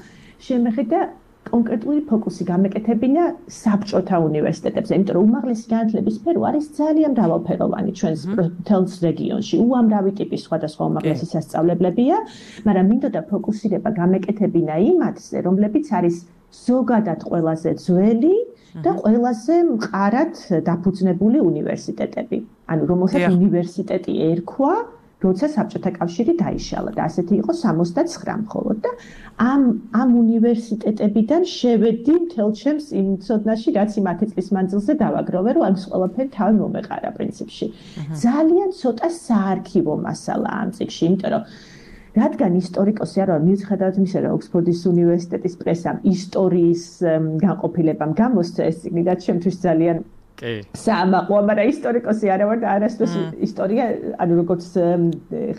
შემეხედა კონკრეტული ფოკუსი გამეკეთებინა საბჭოთა უნივერსიტეტებზე, იმიტომ რომ უმაღლესი განათლების სფერო არის ძალიან მრავალფეროვანი ჩვენს მთელს რეგიონში. უამრავი ტიპის სხვადასხვა უმაღლესი სასწავლებლებია, მაგრამ მინდოდა ფოკუსირება გამეკეთებინა იმათზე, რომლებიც არის ზოგადად ყველაზე ძველი და ყველაზე მყარად დაფუძნებული უნივერსიტეტები. ანუ რომელსაც უნივერსიტეტი ერქვა, როცა საბჭოთა კავშირი დაიშალა და ასეთი იყო სამოცდაცხრა მხოლოდ და ამ ამ უნივერსიტეტებიდან შევედი მთელ ჩემს იმ ცოდნაში, რაც იმ ათი წლის მანძილზე დავაგროვე, რომ ამ ყველაფერი თავი მომეყარა პრინციპში. ძალიან ცოტა საარქივო მასალა ამ წიგნში, იმიტომ რომ რადგან ისტორიკოსი არ ვარ, მიუხედავად იმისა, რომ ოქსფორდის უნივერსიტეტის პრესამ ისტორიის განყოფილებამ გამოსცა ეს წიგნი და ჩემთვის ძალიან კი. საამაყოა, მაგრამ ისტორიკოსი არა ვარ და არასდროს ისტორია, ანუ როგორც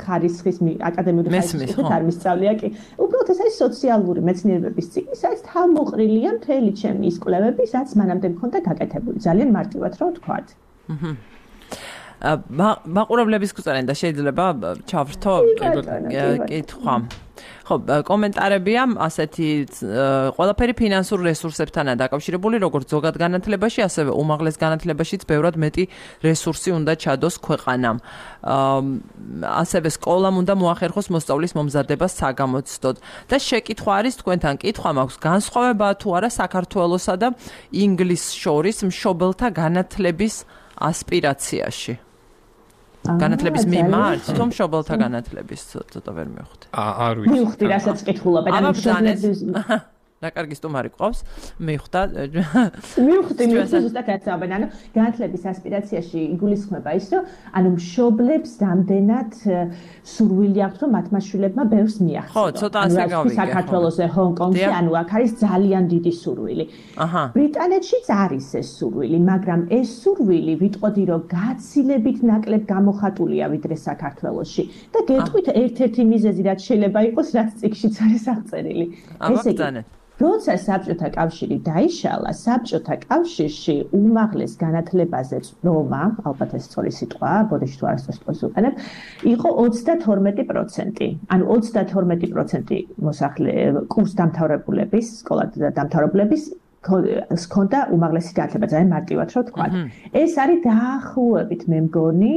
ხარისხის აკადემიური ხარისხის არ მისწავლია კი. უბრალოდ ეს არის სოციალური მეცნიერებების წიგნი, სადაც თავმოყრილია მთელი ჩემი ის კვლევები, რაც მანამდე მქონდა გაკეთებული. ძალიან მარტივად რომ ვთქვათ. მაყურებლების გვწერენ და შეიძლება ჩავრთო კითხვა. ხო, კომენტარებია ასეთი ყველაფერი ფინანსურ რესურსებთანაა დაკავშირებული, როგორც ზოგად განათლებაში, ასევე უმაღლეს განათლებაშიც ბევრად მეტი რესურსი უნდა ჩადოს ქვეყანამ. ასევე სკოლამ უნდა მოახერხოს მოსწავლის მომზადება საგამოცდოდ. და შეკითხვა არის თქვენთან, კითხვა მაქვს, განსხვავებაა თუ არა საქართველოსა და ინგლისს შორის მშობელთა განათლების ასპირაციაში? განათლების მიმართ, თუ მშობელთა განათლების ცოტა ვერ მივხვდი. არ ვიცი. მივხვდი, რასაც კითხულობენ, ანუ მშობლების და კარგი სტუმარი ყავს, მივხვდა. მივხვდი, მივხვდი ზუსტად აცავენ, ანუ განათლების ასპირაციაში იგულისხმება ის, რომ ანუ მშობლებს რამდენად სურვილი აქვს, რომ მათ მაშულებმა ბევრს მიაღწიონ. ხო, ცოტა ასე გავიგე. საქართველოს, ჰონკონგში, ანუ აქ არის ძალიან დიდი სურვილი. აჰა. ბრიტანეთშიც არის ეს სურვილი, მაგრამ ეს სურვილი ვიტყოდი, რომ გაცილებით ნაკლებ გამოხატულია ვიდრე საქართველოში. და გეტყვით ერთ-ერთი მიზეზი, რაც შეიძლება იყოს, რაც წიგნშიც არის აღწერილი. ესე იგი, როცა საბჭოთა კავშირი დაიშალა, საბჭოთა კავშირში უმაღლეს განათლებაზე წვდომა, ალბათ ეს სწორი სიტყვაა, ბოდიში თუ არასწორს უყენებ, იყო ოცდათორმეტი პროცენტი. ანუ ოცდათორმეტი პროცენტი მოსახლე კურს დამთავრებულების, სკოლა დამთავრებულების ჰქონდა უმაღლესი განათლება, ძალიან მარტივად რო ვთქვა. ეს არის დაახლოებით, მე მგონი,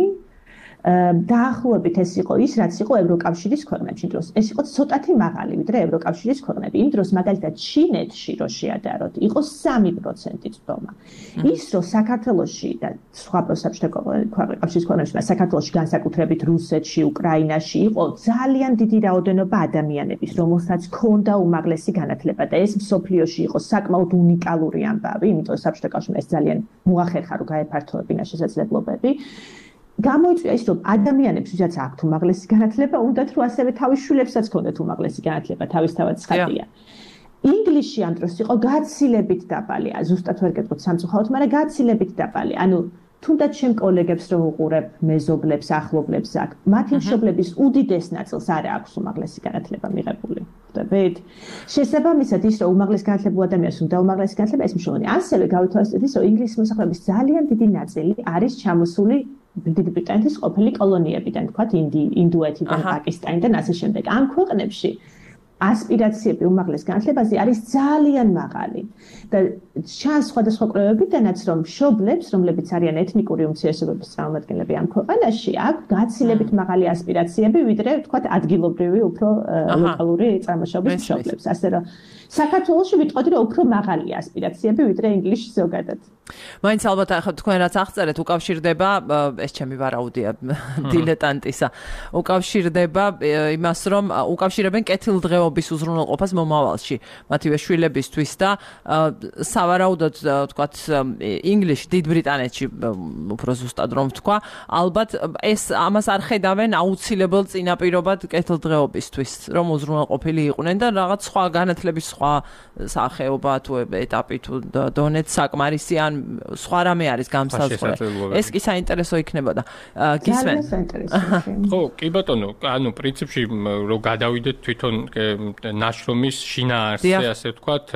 დაახლოებით ეს იყო ის, რაც იყო ევროკავშირის ქვეყნებში დროს. ეს იყო ცოტათი მაღალი, ვიდრე ევროკავშირის ქვეყნები. იმ დროს მაგალითად ჩინეთში რო შეადაროთ, იყო სამი პროცენტი წვდომა. ის რომ საქართველოში და სხვა საბჭოთა კავშირის ქვეყნებში, საქართველოში განსაკუთრებით რუსეთში, უკრაინაში იყო ძალიან დიდი რაოდენობა ადამიანების, რომელსაც ჰქონდა უმაღლესი განათლება და ეს მსოფლიოში იყო საკმაოდ უნიკალური ამბავი, იმიტომ რომ საბჭოთა კავშირმა ეს ძალიან მოახერხა, რომ გაეფართოებინა შესაძლებლობები. გამოიწვია ის, რომ ადამიანებს, ვისაც აქვთ უმაღლესი განათლება, უნდათ რომ ასევე თავის შვილებსაც ჰქონდეთ უმაღლესი განათლება, თავისთავად ცხადია. ინგლისში ამ დროს იყო გაცილებით დაბალი, ზუსტად ვერ გეტყვით სამწუხაროდ, მაგრამ გაცილებით დაბალი. ანუ თუნდაც ჩემ კოლეგებს რომ უყურებ, მეზობლებს, ახლობლებს აქ, მათი მშობლების უდიდეს ნაწილს არ აქვს უმაღლესი განათლება მიღებული. ხვდებით? შესაბამისად ის, რომ უმაღლეს განათლებულ ადამიანს უნდა უმაღლესი განათლება, ეს მნიშვნელოვანია. ასევე გავითვალისწინოთ ის, რომ ინგლისის მოსახლეობის ძალიან დიდი ნაწილი არის ჩამოსული დიდი ბრიტანეთის ყოფილი კოლონიებიდან, თქვათ, ინდოეთიდან, პაკისტანიდან, ასე შემდეგ. ამ ქვეყნებში ასპირაციები უმაღლეს განათლებაზე არის ძალიან მაღალი. და ჩანს სხვადასხვა კვლევებიდანაც, რომ მშობლებს, რომლებიც არიან ეთნიკური უმცირესობების წარმომადგენლები ამ ქვეყანაში, აქვს გაცილებით მაღალი ასპირაციები, ვიდრე, თქვათ, ადგილობრივი, უფრო ლოკალური წარმოშობის მშობლებს. ასე რომ საქართველოში ვიტყოდი, რომ უფრო მაღალია ასპირაციები, ვიდრე ინგლისში ზოგადად. მაინც ალბათ ახლა თქვენ რაც აღწერეთ, უკავშირდება, ეს ჩემი ვარაუდია დილეტანტისა, უკავშირდება იმას, რომ უკავშირებენ კეთილდღეობა დღეობის უზრუნველყოფას მომავალში მათივე შვილებისთვის და სავარაუდოდ ვთქვათ ინგლისში დიდ ბრიტანეთში უფრო ზუსტად რომ ვთქვა ალბათ ეს ამას არ ხედავენ აუცილებელ წინაპირობად კეთილდღეობისთვის რომ უზრუნველყოფილი იყვნენ და რაღაც სხვა განათლების სხვა სახეობა თუ ეტაპი თუ დონეც საკმარისი ან სხვა რამე არის გამსაზღვრე ეს კი საინტერესო იქნებოდა გისმენ ხო კი ბატონო ანუ პრინციპში რომ გადავიდეთ თვითონ ნაშრომის შინაარსზე ასე ვთქვათ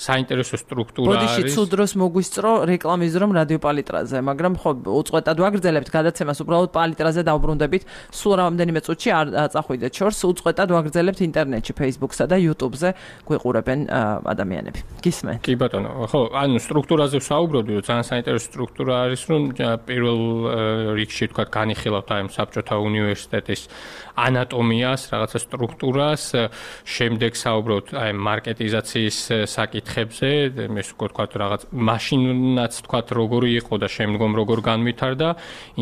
საინტერესო სტრუქტურა არის ბოდიში ცუდ დროს მოგვისწრო რეკლამის რომ რადიო პალიტრაზე მაგრამ ხო უწყვეტად ვაგრძელებთ გადაცემას უბრალოდ პალიტრაზე დავბრუნდებით სულ რამდენიმე წუთში არ წახვიდეთ შორს უწყვეტად ვაგრძელებთ ინტერნეტში Facebook-სა და YouTube-ზე გვიყურებენ ადამიანები გისმენ კი ბატონო ხო ანუ სტრუქტურაზე ვსაუბრობდი რომ ძალიან საინტერესო სტრუქტურა არის რომ პირველ რიგში თქვა განიხილავთ აი საბჭოთა უნივერსიტეტის ანატომიას რაღაცა სტრუქტურას შემდეგ საუბრობთ აი მარკეტიზაციის საკითხებზე ეს უკვე თქვა რაღაც მაშინაც თქვა როგორი იყო და შემდგომ როგორ განვითარდა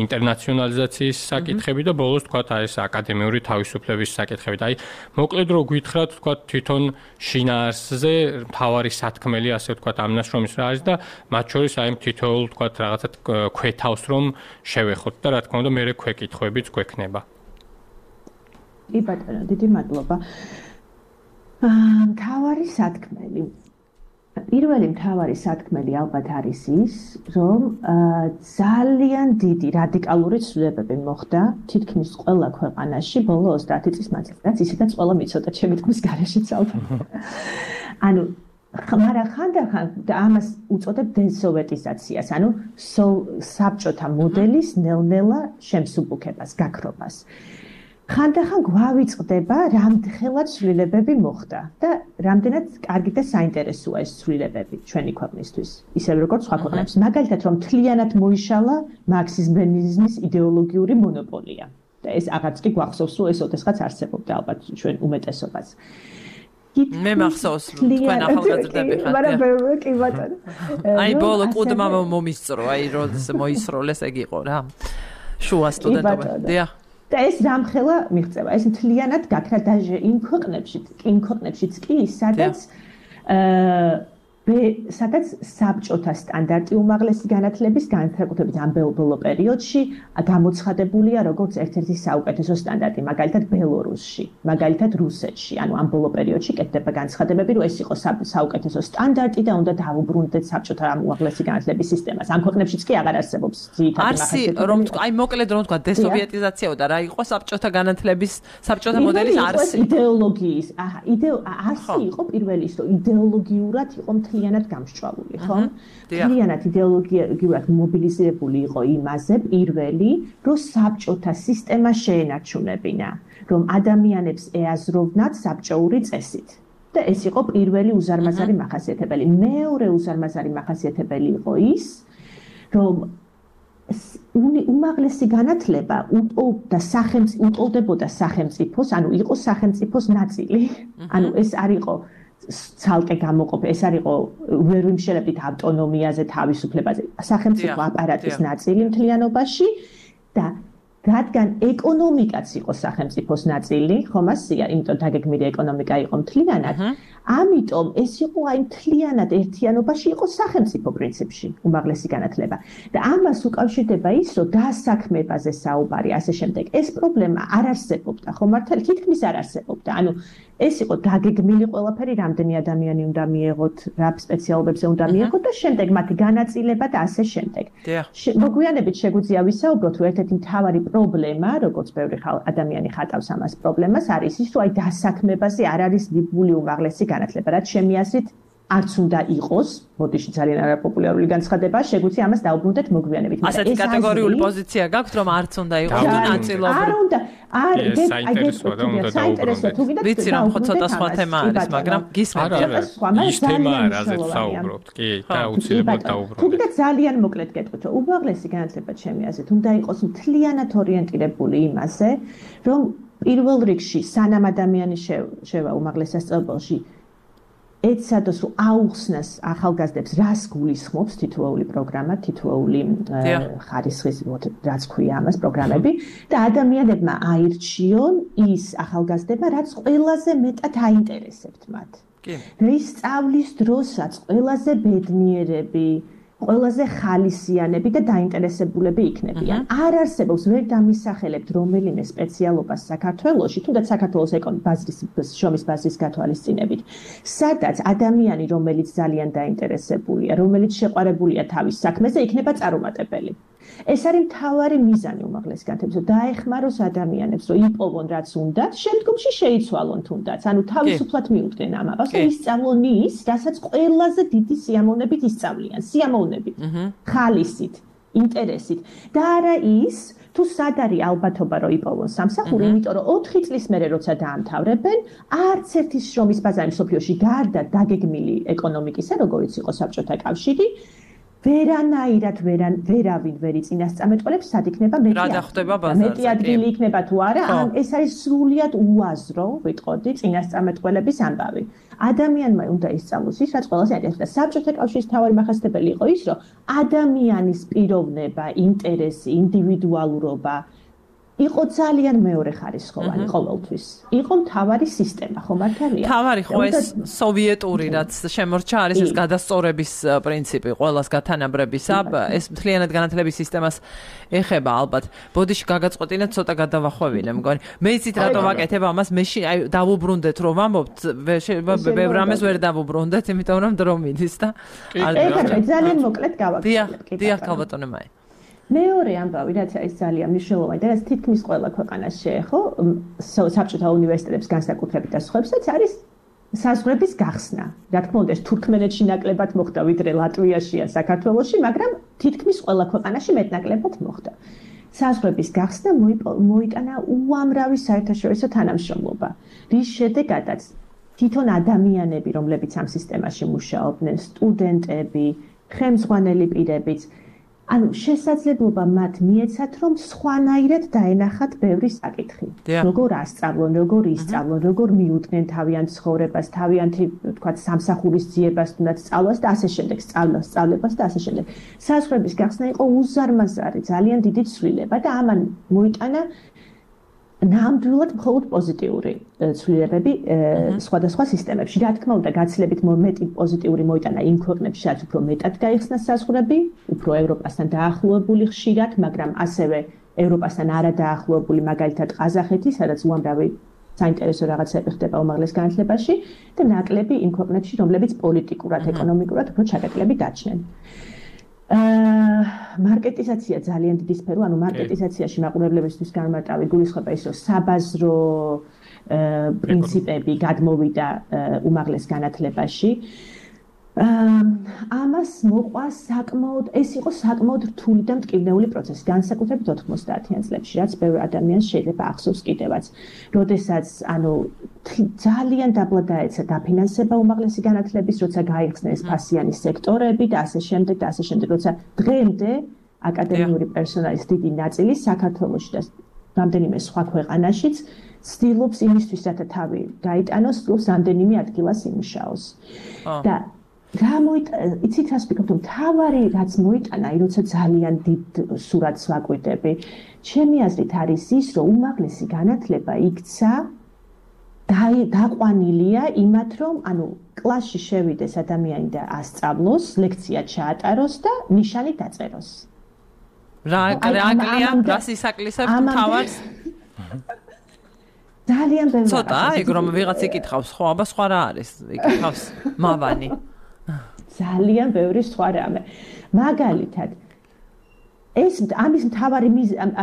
ინტერნაციონალიზაციის საკითხები და ბოლოს თქვა აი ეს აკადემიური თავისუფლების საკითხები და აი მოკლედ რო გითხრათ თქვა თვითონ შინაარსზე მთავარი სათქმელი ასე ვთქვათ ამ ნაშრომის რა არის და მათ შორის აი თითოეულ ვთქვათ რაღაცა ქვეთავს რომ შევეხოთ და რა თქმა უნდა მე ქვეკითხვებიც გვექნება. კი ბატონო, დიდი მადლობა. აა მთავარი სათქმელი. პირველი მთავარი სათქმელი ალბათ არის ის, რომ ძალიან დიდი რადიკალური ცვლილებები მოხდა თითქმის ყველა ქვეყანაში ბოლო ოცდაათი წლის მანძილზე, რაც ისედაც ყველა მიცოდა ჩემი თქმის გარეშეც ალბათ. ანუ მაგრამ ხანდახან და ამას უწოდებ დესოვეტიზაციას, ანუ საბჭოთა მოდელის ნელ-ნელა შემსუბუქებას, გაქრობას. ხანდახან გვავიწყდება, რამდენად ცვლილებები მოხდა და რამდენად კარგი და საინტერესოა ეს ცვლილებები ჩვენი ქვეყნისთვის, ისე როგორც სხვა ქვეყნებში. მაგალითად, რომ მთლიანად მოიშალა მარქსიზმ-ლენინიზმის იდეოლოგიური მონოპოლია. და ეს აღარც კი გვახსოვს, რომ ეს ოდესღაც არსებობდა ალბათ ჩვენ უმეტესობას. მე მახსოვს რომ თქვენ ახალგაზრდები ხართ. მაგრამ ბევრი კი ბატონო. აი ბოლო კუდმა მომისწრო, აი როდეს მოისროლეს ეგ იყო რა. შუა სტუდენტობა. დიახ. და ეს დამხელა მიღწევა. ეს მთლიანად გაქრა დაჟე იმ ქვეყნებში, იმ ქვეყნებშიც კი, სადაც აა სადაც საბჭოთა სტანდარტი უმაღლესი განათლების განსაკუთრებით ამ ბოლო პერიოდში გამოცხადებულია როგორც ერთ-ერთი საუკეთესო სტანდარტი, მაგალითად ბელორუსში, მაგალითად რუსეთში. ანუ ამ ბოლო პერიოდში კეთდება განცხადებები, რომ ეს იყო საუკეთესო სტანდარტი და უნდა დავუბრუნდეთ საბჭოთა უმაღლესი განათლების სისტემას. ამ ქვეყნებშიც კი აღარ არსებობს ძირითადი მახასიათებლები. რომ აი მოკლედ რომ თქვა დესოვიეტიზაციაო და რა იყო საბჭოთა განათლების საბჭოთა მოდელის არსი. იდეოლოგიის, აჰა, იდეო არსი იყო პირველი ის, რომ იდეოლოგიურად იყო მთლიანად გამსჭვალული, ხო? მთლიანად იდეოლოგიურად მობილიზირებული იყო იმაზე პირველი, რომ საბჭოთა სისტემა შეენარჩუნებინა, რომ ადამიანებს ეაზროვნათ საბჭოური წესით. და ეს იყო პირველი უზარმაზარი მახასიათებელი. მეორე უზარმაზარი მახასიათებელი იყო ის, რომ უმაღლესი განათლება უტოლდა სახელმწიფოს, უტოლდებოდა სახელმწიფოს, ანუ იყო სახელმწიფოს ნაწილი. ანუ ეს არ იყო ცალკე გამოყოფილი, ეს არ იყო ვერ ვიმშელებდით ავტონომიაზე, თავისუფლებაზე, სახელმწიფო აპარატის ნაწილი მთლიანობაში და რადგან ეკონომიკაც იყო სახელმწიფოს ნაწილი, ხომ ასია, იმიტომ დაგეგმილი ეკონომიკა იყო მთლიანად, ამიტომ ეს იყო აი მთლიანად ერთიანობაში იყო სახელმწიფო პრინციპში უმაღლესი განათლება. და ამას უკავშირდება ის, რომ დასაქმებაზე საუბარი, ასე შემდეგ. ეს პრობლემა არ არსებობდა, ხო მართალი? თითქმის არ არსებობდა. ანუ ეს იყო დაგეგმილი ყველაფერი, რამდენი ადამიანი უნდა მიეღოთ, რა სპეციალობებზე უნდა მიეღოთ და შემდეგ მათი განაწილება და ასე შემდეგ. მოგვიანებით შეგვიძლია ვისაუბროთ, რომ ერთ-ერთი მთავარი პრობლემა, როგორც ბევრი ადამიანი ხატავს ამას პრობლემას, არის ის, რომ აი დასაქმებაზე არ არის მიბული უმაღლესი განათლება, რაც ჩემი აზრით არც უნდა იყოს, მოდიში ძალიან არაპოპულარული განცხადებაა, შეგვიძლია ამას დაუბრუნდეთ მოგვიანებით. ასეთი კატეგორიული პოზიცია გაქვთ, რომ არც უნდა იყოს და ნაწილობრივ. არ უნდა, არ საინტერესოა და უნდა დაუბრუნდეთ. ვიცი რომ ხო ცოტა სხვა თემა არის, მაგრამ გისმენთ ის თემა რაზეც საუბრობთ, კი, და აუცილებლად დაუბრუნდეთ. თუმცა ძალიან მოკლედ გეტყვით, რომ უმაღლესი განათლება ჩემი აზრით უნდა იყოს მთლიანად ორიენტირებული იმაზე, რომ პირველ რიგში სანამ ადამიანი შევა უმაღლეს სასწავლებელში ეცადოს რომ აუხსნას ახალგაზრდებს რას გულისხმობს თითოეული პროგრამა, თითოეული ხარისხის რაც ქვია ამას პროგრამები და ადამიანებმა აირჩიონ ის ახალგაზრდება, რაც ყველაზე მეტად აინტერესებთ მათ. რის სწავლის დროსაც ყველაზე ბედნიერები ყველაზე ხალისიანები და დაინტერესებულები იქნებიან. არ არსებობს ვერ დამისახელებთ რომელიმე სპეციალობას საქართველოში, თუნდაც საქართველოს ეკონომიკის ბაზრის შრომის ბაზრის გათვალისწინებით, სადაც ადამიანი, რომელიც ძალიან დაინტერესებულია, რომელიც შეყვარებულია თავის საქმეზე, იქნება წარუმატებელი. ეს არის მთავარი მიზანი უმაღლეს განათლების, რომ დაეხმაროს ადამიანებს, რომ იპოვონ რაც უნდათ, შემდგომში შეიცვალონ თუნდაც, ანუ თავისუფლად მიუდგნენ ამას, რომ ისწავლონ ის, რასაც ყველაზე დიდი სიამოვნებით ისწავლიან, სიამოვნებით, ხალისით, ინტერესით და არა ის, თუ სად არის ალბათობა, რომ იპოვონ სამსახური, იმიტომ რომ ოთხი წლის მერე როცა დაამთავრებენ, არც ერთი შრომის ბაზარი მსოფლიოში გარდა დაგეგმილი ეკონომიკისა, როგორც იყო საბჭოთა კავშირი, ვერანაირად ვერავინ ვერ იწინასწამეტყველებს, სად იქნება მეტი ადგილი იქნება თუ არა, ან ეს არის სრულიად უაზრო, ვიტყოდი, წინასწამეტყველების ამბავი. ადამიანმა უნდა ისწავლოს ის, რაც ყველაზე აინტერესებს და საბჭოთა კავშირის მთავარი მახასიათებელი იყო ის, რომ ადამიანის პიროვნება, ინტერესი, ინდივიდუალურობა იყო ძალიან მეორე ხარისხოვანი ყოველთვის. იყო მთავარი სისტემა, ხო მართალია? მთავარი ხო ეს სოვიეტური რაც შემორჩა არის ეს გადასწორების პრინციპი, ყველას გათანაბრებისა, ეს მთლიანად განათლების სისტემას ეხება ალბათ. ბოდიში გაგაწყვეტინეთ ცოტა გადავახვევინე, მგონი. მე იცით რატო ვაკეთებ ამას, მე აი დავუბრუნდეთ რომ ვამბობთ, ბევრ რამეს ვერ დავუბრუნდეთ, იმიტომ რომ დრო მიდის და არ დავაბრუნდეთ. ძალიან მოკლედ გავაკეთებ. დიახ, ქალბატონო მაი. მეორე ამბავი, რაც არის ძალიან მნიშვნელოვანი და რაც თითქმის ყველა ქვეყანას შეეხო, საბჭოთა უნივერსიტეტებს განსაკუთრებით და სხვებსაც არის საზღვრების გახსნა. რა თქმა უნდა, ეს თურქმენეთში ნაკლებად მოხდა, ვიდრე ლატვიაში ან საქართველოში, მაგრამ თითქმის ყველა ქვეყანაში მეტნაკლებად მოხდა. საზღვრების გახსნა მოიტანა უამრავი საერთაშორისო თანამშრომლობა, რის შედეგადაც თვითონ ადამიანები, რომლებიც ამ სისტემაში მუშაობდნენ, სტუდენტები, ხელმძღვანელი პირებიც ანუ შესაძლებლობა მათ მიეცათ, რომ სხვანაირად დაენახათ ბევრი საკითხი. როგორ ასწავლონ, როგორ ისწავლონ, როგორ მიუდგნენ თავიანთ ცხოვრებას, თავიანთი, თქვათ, სამსახურის ძიებას, თუნდაც სწავლას და ასე შემდეგ, სწავლას, სწავლებას და ასე შემდეგ. საზღვრების გახსნა იყო უზარმაზარი, ძალიან დიდი ცვლილება და ამან მოიტანა ნამდვილად მხოლოდ პოზიტიური ცვლილებები სხვადასხვა სისტემებში. რა თქმა უნდა, გაცილებით მეტი პოზიტიური მოიტანა იმ ქვეყნებში, სადაც უფრო მეტად გაიხსნა საზღვრები, უფრო ევროპასთან დაახლოებული ხშირად, მაგრამ ასევე ევროპასთან არადაახლოებული, მაგალითად ყაზახეთი, სადაც უამრავი საინტერესო რაღაცები ხდება უმაღლეს განათლებაში და ნაკლები იმ ქვეყნებში, რომლებიც პოლიტიკურად, ეკონომიკურად უფრო ჩაკეტილები დაჩნენ. აა მარკეტიზაცია ძალიან დიდი სფერო, ანუ მარკეტიზაციაში მაყურებლებისთვის განმარტავი გულისხმობა ის, რომ საბაზრო პრინციპები გადმოვიდა უმაღლეს განათლებაში. ამას მოყვა საკმაოდ, ეს იყო საკმაოდ რთული და მტკივნეული პროცესი, განსაკუთრებით ოთხმოცდაათიან წლებში, რაც ბევრ ადამიანს შეიძლება ახსოვს კიდევაც. როდესაც, ანუ ძალიან დაბლა დაეცა დაფინანსება უმაღლესი განათლების, როცა გაიხსნეს ფასიანი სექტორები და ასე შემდეგ და ასე შემდეგ, როცა დღემდე აკადემიური პერსონალის დიდი ნაწილი საქართველოში და რამდენიმე სხვა ქვეყანაშიც ცდილობს იმისთვის, რათა თავი გაიტანოს, ცდილობს რამდენიმე ადგილას იმუშაოს. და რა მოიტანა, იცით რას ვფიქრობ, მთავარი რაც მოიტანა, როცა ძალიან დიდ სურათს ვაკვირდები, ჩემი აზრით არის ის, რომ უმაღლესი განათლება იქცა დაყვანილია იმათ, რომ ანუ კლასში შევიდეს ადამიანი და ასწავლოს, ლექცია ჩაატაროს და ნიშანი დაწეროს. რა აკლია, რას ისაკლისებს თავარს? ძალიან ბევრი. ცოტა, ეგ რომ ვიღაც იკითხავს, ხო, აბა სხვა რა არის? იკითხავს მავანი. ძალიან ბევრი სხვა რამე. მაგალითად, ეს ამის მთავარი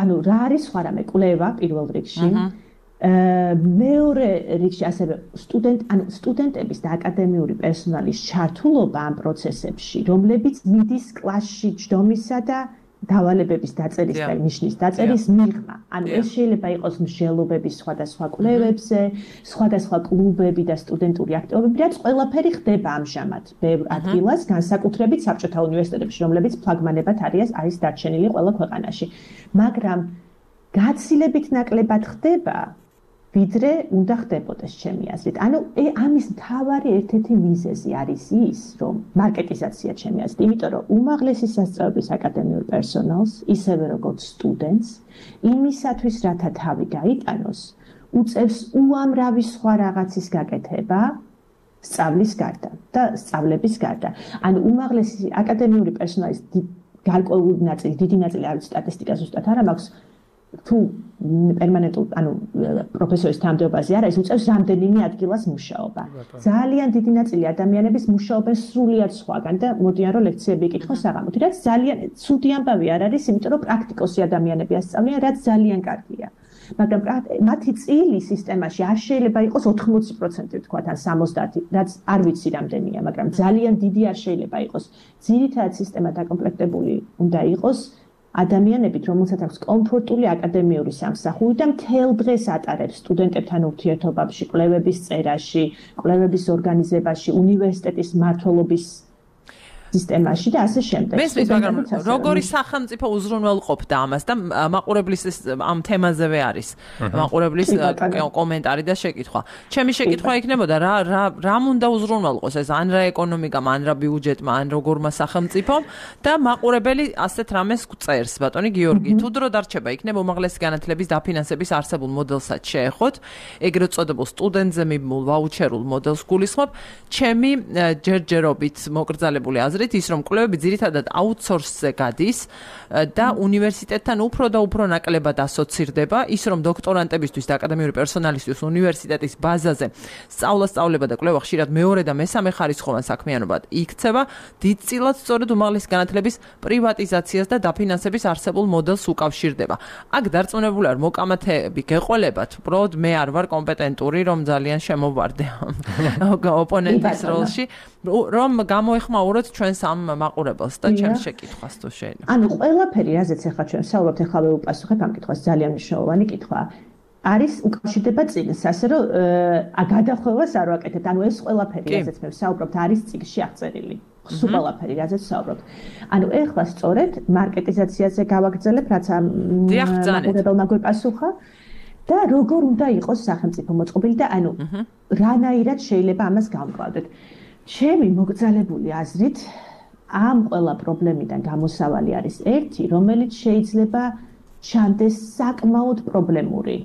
ანუ რა არის სხვა რამე? კვლევა პირველ რიგში. მეორე რიგში ასევე სტუდენტ ანუ სტუდენტების და აკადემიური პერსონალის ჩართულობა ამ პროცესებში, რომლებიც მიდის კლასში ჯდომისა და დავალებების დაწერის და ნიშნის დაწერის მიღმა. ანუ ეს შეიძლება იყოს მსჯელობების სხვადასხვა კვლევებზე, სხვადასხვა კლუბები და სტუდენტური აქტივობები, რაც ყველაფერი ხდება ამჟამად ბევრ ადგილას, განსაკუთრებით საბჭოთა უნივერსიტეტებში, რომლებიც ფლაგმანებად არის არის დარჩენილი ყველა ქვეყანაში. მაგრამ გაცილებით ნაკლებად ხდება ვიდრე უნდა ხდებოდეს ჩემი აზრით. ანუ ამის მთავარი ერთ-ერთი მიზეზი არის ის, რომ მარკეტიზაცია ჩემი აზრით, იმიტომ რომ უმაღლესი სასწავლებლის აკადემიურ პერსონალს, ისევე როგორც სტუდენტს, იმისათვის, რათა თავი გაიტანოს, უწევს უამრავი სხვა რაღაცის გაკეთება სწავლის გარდა და სწავლების გარდა. ანუ უმაღლესი აკადემიური პერსონალის გარკვეული ნაწილი, დიდი ნაწილი არის სტატისტიკა ზუსტად არ მაქვს თუ პერმანენტულ ანუ პროფესორის თანამდებობაზე არა ის უწევს რამდენიმე ადგილას მუშაობა. ძალიან დიდი ნაწილი ადამიანების მუშაობენ სრულიად სხვაგან და მოდიან რომ ლექციები იკითხოს საღამოთი, რაც ძალიან ცუდი ამბავი არ არის, იმიტომ რომ პრაქტიკოსი ადამიანები ასწავლიან, რაც ძალიან კარგია. მაგრამ მათი წილი სისტემაში არ შეიძლება იყოს ოთხმოცი პროცენტი თქვათ ან სამოცდაათი, რაც არ ვიცი რამდენია, მაგრამ ძალიან დიდი არ შეიძლება იყოს. ძირითადად სისტემა დაკომპლექტებული უნდა იყოს ადამიანებით, რომელსაც აქვს კომფორტული აკადემიური სამსახური და მთელ დღეს ატარებს სტუდენტებთან ურთიერთობაში, კვლევების წერაში, კვლევების ორგანიზებაში, უნივერსიტეტის მმართველობის სისტემაში და ასე შემდეგ. მესმის, მაგრამ როგორი სახელმწიფო უზრუნველყოფდა ამას და მაყურებლის ამ თემაზევე არის მაყურებლის კომენტარი და შეკითხვა. ჩემი შეკითხვა იქნებოდა რა რა რამ უნდა უზრუნველყოს ეს ან რა ეკონომიკამ, ან რა ბიუჯეტმა, ან როგორმა სახელმწიფომ და მაყურებელი ასეთ რამეს წერს, ბატონი გიორგი. თუ დრო დარჩება, იქნება უმაღლესი განათლების დაფინანსების არსებულ მოდელსაც შეეხოთ, ეგრეთ წოდებულ სტუდენტზე მიმმულ ვაუჩერულ მოდელს გულისხმობ. ჩემი ჯერჯერობით მოკრძალებული აზრით ის რომ კვლევები ძირითადად აუთსორსზე გადის და უნივერსიტეტთან უფრო და უფრო ნაკლებად ასოცირდება, ის რომ დოქტორანტებისთვის და აკადემიური პერსონალისთვის უნივერსიტეტის ბაზაზე სწავლა-სწავლება და კვლევა ხშირად მეორე და მესამე ხარისხოვან საქმიანობად იქცევა, დიდწილად სწორედ უმაღლესი განათლების პრივატიზაციას და დაფინანსების არსებულ მოდელს უკავშირდება. აქ დარწმუნებული ვარ, მოკამათეები გეყოლებათ, უბრალოდ მე არ ვარ კომპეტენტური, რომ ძალიან შემოვარდე ამ ოპონენტის როლში, რომ გამოეხმაუროთ ჩვენს ამ მაყურებელს და ჩემს შეკითხვას თუ შეიძლება. ანუ ყველაფერი, რაზეც ახლა ჩვენ საუბრობთ, ახლა ვეუპასუხებ ამ კითხვას, ძალიან მნიშვნელოვანი კითხვა. არის უკავშირდება წიგნს, ასე რომ გადახვევას არ ვაკეთებთ. ანუ ეს ყველაფერი, რაზეც მე ვსაუბრობთ, არის წიგნში აღწერილი. სულ ყველაფერი, რაზეც ვსაუბრობთ. ანუ ახლა სწორედ მარკეტიზაციაზე გავაგრძელებ, რაც ამ მაყურებელმა გვეპასუხა. და როგორ უნდა იყოს სახელმწიფო მოწყობილი და ანუ რანაირად შეიძლება ამას გავმკლავდეთ. ჩემი მოგრძალებული აზრით ამ ყველა პრობლემიდან გამოსავალი არის ერთი, რომელიც შეიძლება ჩანდეს საკმაოდ პრობლემური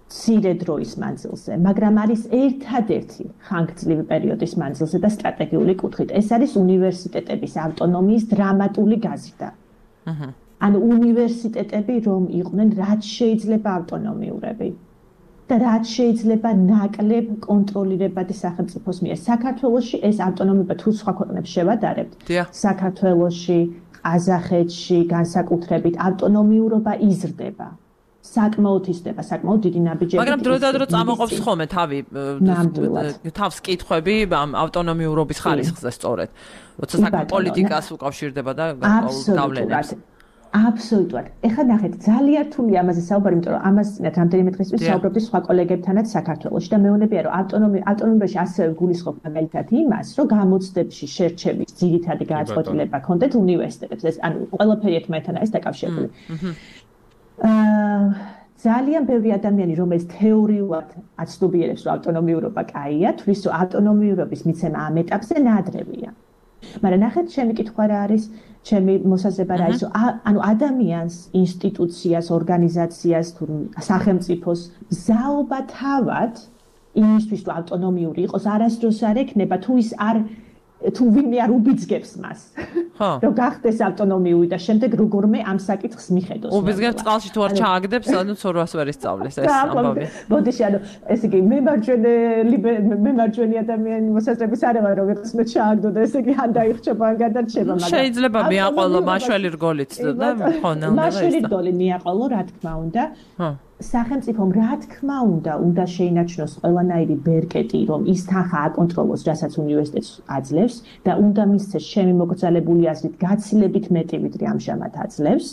მცირე დროის მანძილზე, მაგრამ არის ერთადერთი ხანგრძლივი პერიოდის მანძილზე და სტრატეგიული კუთხით. ეს არის უნივერსიტეტების ავტონომიის დრამატული გაზრდა. ანუ უნივერსიტეტები რომ იყვნენ რაც შეიძლება ავტონომიურები. და რაც შეიძლება ნაკლებ კონტროლირებადი სახელმწიფოს მიერ. საქართველოში ეს ავტონომია თუ სხვა ქვეყნებს შევადარებთ. საქართველოში, ყაზახეთში განსაკუთრებით ავტონომიურობა იზრდება. საკმაოდ იზრდება, საკმაოდ დიდი ნაბიჯები. მაგრამ დროდადრო წამოყოფს ხოლმე თავი თავს კითხვები ამ ავტონომიურობის ხარისხზე სწორედ. როცა საკმაოდ პოლიტიკას უკავშირდება და გავლენებს. აბსოლუტურად. ეხლა ნახეთ, ძალიან რთული ამაზე საუბარი, იმიტომ რომ ამას წინათ რამდენიმე დღისთვის საუბრობდი სხვა კოლეგებთანაც საქართველოში და მეუბნებია, რომ ავტონომია ავტონომიაში ასევე გულისხმობ მაგალითად იმას, რომ გამოცდებში შერჩევის ძირითადი გადაწყვეტილება ქონდეთ უნივერსიტეტებს. ეს ანუ ყველაფერი ერთმანეთთან არის დაკავშირებული. აა ძალიან ბევრი ადამიანი, რომელიც თეორიულად აცნობიერებს, რომ ავტონომიურობა კაია, თვლის, რომ ავტონომიურობის მიცემა ამ ეტაპზე ნადრევია. მაგრამ ნახეთ, ჩემი კითხვა რა არის, ჩემი მოსაზრება რა არის, ანუ ადამიანს, ინსტიტუციას, ორგანიზაციას თუ სახელმწიფოს მზაობა თავად იმისთვის, რომ ავტონომიური იყოს, არასდროს არ ექნება, თუ ის არ თუ ვინმე არ უბიძგებს მას. რომ გახდეს ავტონომიური და შემდეგ როგორმე ამ საკითხს მიხედოს. უბიძგებს წყალში თუ არ ჩააგდებს, ანუ ცორვას ვერ ისწავლეს ეს ამბავი. ბოდიში, ანუ ესე იგი მემარჯვენე მემარჯვენე ადამიანი მოსაზრების არ ვარ, რომ ვიღაც მე ჩააგდო და ესე იგი ან დაიხჩება, ან გადარჩება, მაგრამ შეიძლება მიაყოლო მაშველი რგოლით და ხონა. მაშველი რგოლი მიაყოლო, რა თქმა უნდა. სახელმწიფომ რა თქმა უნდა, უნდა შეინარჩუნოს ყველანაირი ბერკეტი, რომ ის თანხა აკონტროლოს, რასაც უნივერსიტეტს აძლევს და უნდა მისცეს ჩემი მოგრძალებული აზრით გაცილებით მეტი, ვიდრე ამჟამად აძლევს,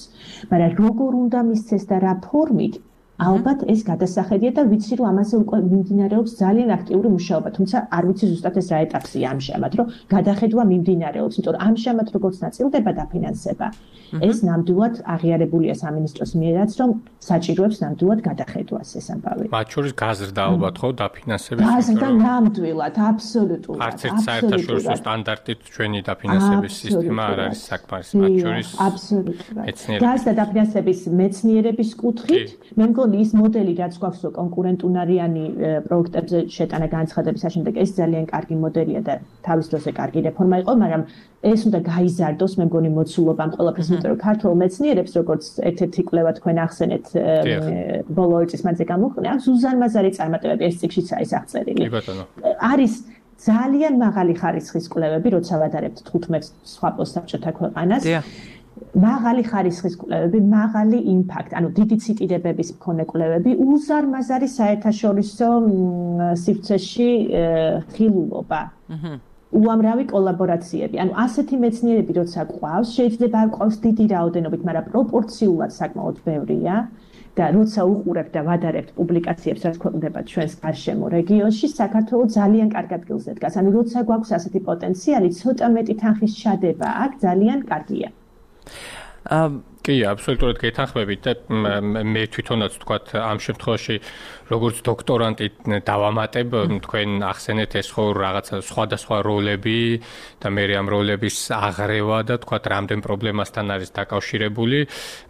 მაგრამ როგორ უნდა მისცეს და რა ფორმით, ალბათ ეს გადასახედია და ვიცი რომ ამაზე უკვე მიმდინარეობს ძალიან აქტიური მუშაობა, თუმცა არ ვიცი ზუსტად ეს რა ეტაპზეა ამჟამად, რომ გადახედვა მიმდინარეობს, იმიტომ რომ ამჟამად როგორც ნაწილდება დაფინანსება, ეს ნამდვილად აღიარებულია სამინისტროს მიერაც, რომ საჭიროებს ნამდვილად გადახედვას ეს ამბავი. მათ შორის გაზრდა ალბათ ხო დაფინანსების? გაზრდა ნამდვილად, აბსოლუტურად. არც ერთ საერთაშორისო სტანდარტით ჩვენი დაფინანსების სისტემა არ არის საკმარის, მათ შორის აბსოლუტურად. გაზრდა დაფინანსების მეცნიერების კუთხით, მე მგონი ის მოდელი რაც გვაქვს რომ კონკურენტუნარიანი პროექტებზე შეტანა განცხადების საშემდეგო ეს ძალიან კარგი მოდელია და თავის დროზე კარგი რეფორმა იყო, მაგრამ ეს უნდა გაიზარდოს, მე მგონი მოცულობა ამ ყველაფერს, იმიტომ რომ ქართულ მეცნიერებს როგორც ერთ-ერთი კვლევა თქვენ ახსენეთ ბოლო ორი წლის მანძილზე გამოხდა, აქ ზუზან მაზარი წარმატებები ეს წიგნშიც არის აღწერილი. არის ძალიან მაღალი ხარისხის კვლევები, როცა ვადარებთ თხუთმეტ სხვა პოსტსაბჭოთა ქვეყანას. მაღალი ხარისხის კვლევები, მაღალი იმპაქტ, ანუ დიდი ციტირებების მქონე კვლევები, უზარმაზარი საერთაშორისო სივრცეში ხილულობა. უამრავი კოლაბორაციები. ანუ ასეთი მეცნიერები როცა გვყავს, შეიძლება არ გვყავს დიდი რაოდენობით, მაგრამ პროპორციულად საკმაოდ ბევრია. და როცა უყურებთ და ვადარებთ პუბლიკაციებს, რაც ქვეყნდება ჩვენს გარშემო რეგიონში, საქართველო ძალიან კარგ ადგილზე დგას. ანუ როცა გვაქვს ასეთი პოტენციალი, ცოტა მეტი თანხის ჩადება აქ ძალიან კარგია. კი, აბსოლუტურად გეთანხმებით და მე თვითონაც ვთქვათ ამ შემთხვევაში როგორც დოქტორანტი დავამატებ თქვენ ახსენეთ ეს ხო რაღაცა სხვადასხვა როლები და მე ამ როლების აღრევა და ვთქვათ რამდენ პრობლემასთან არის დაკავშირებული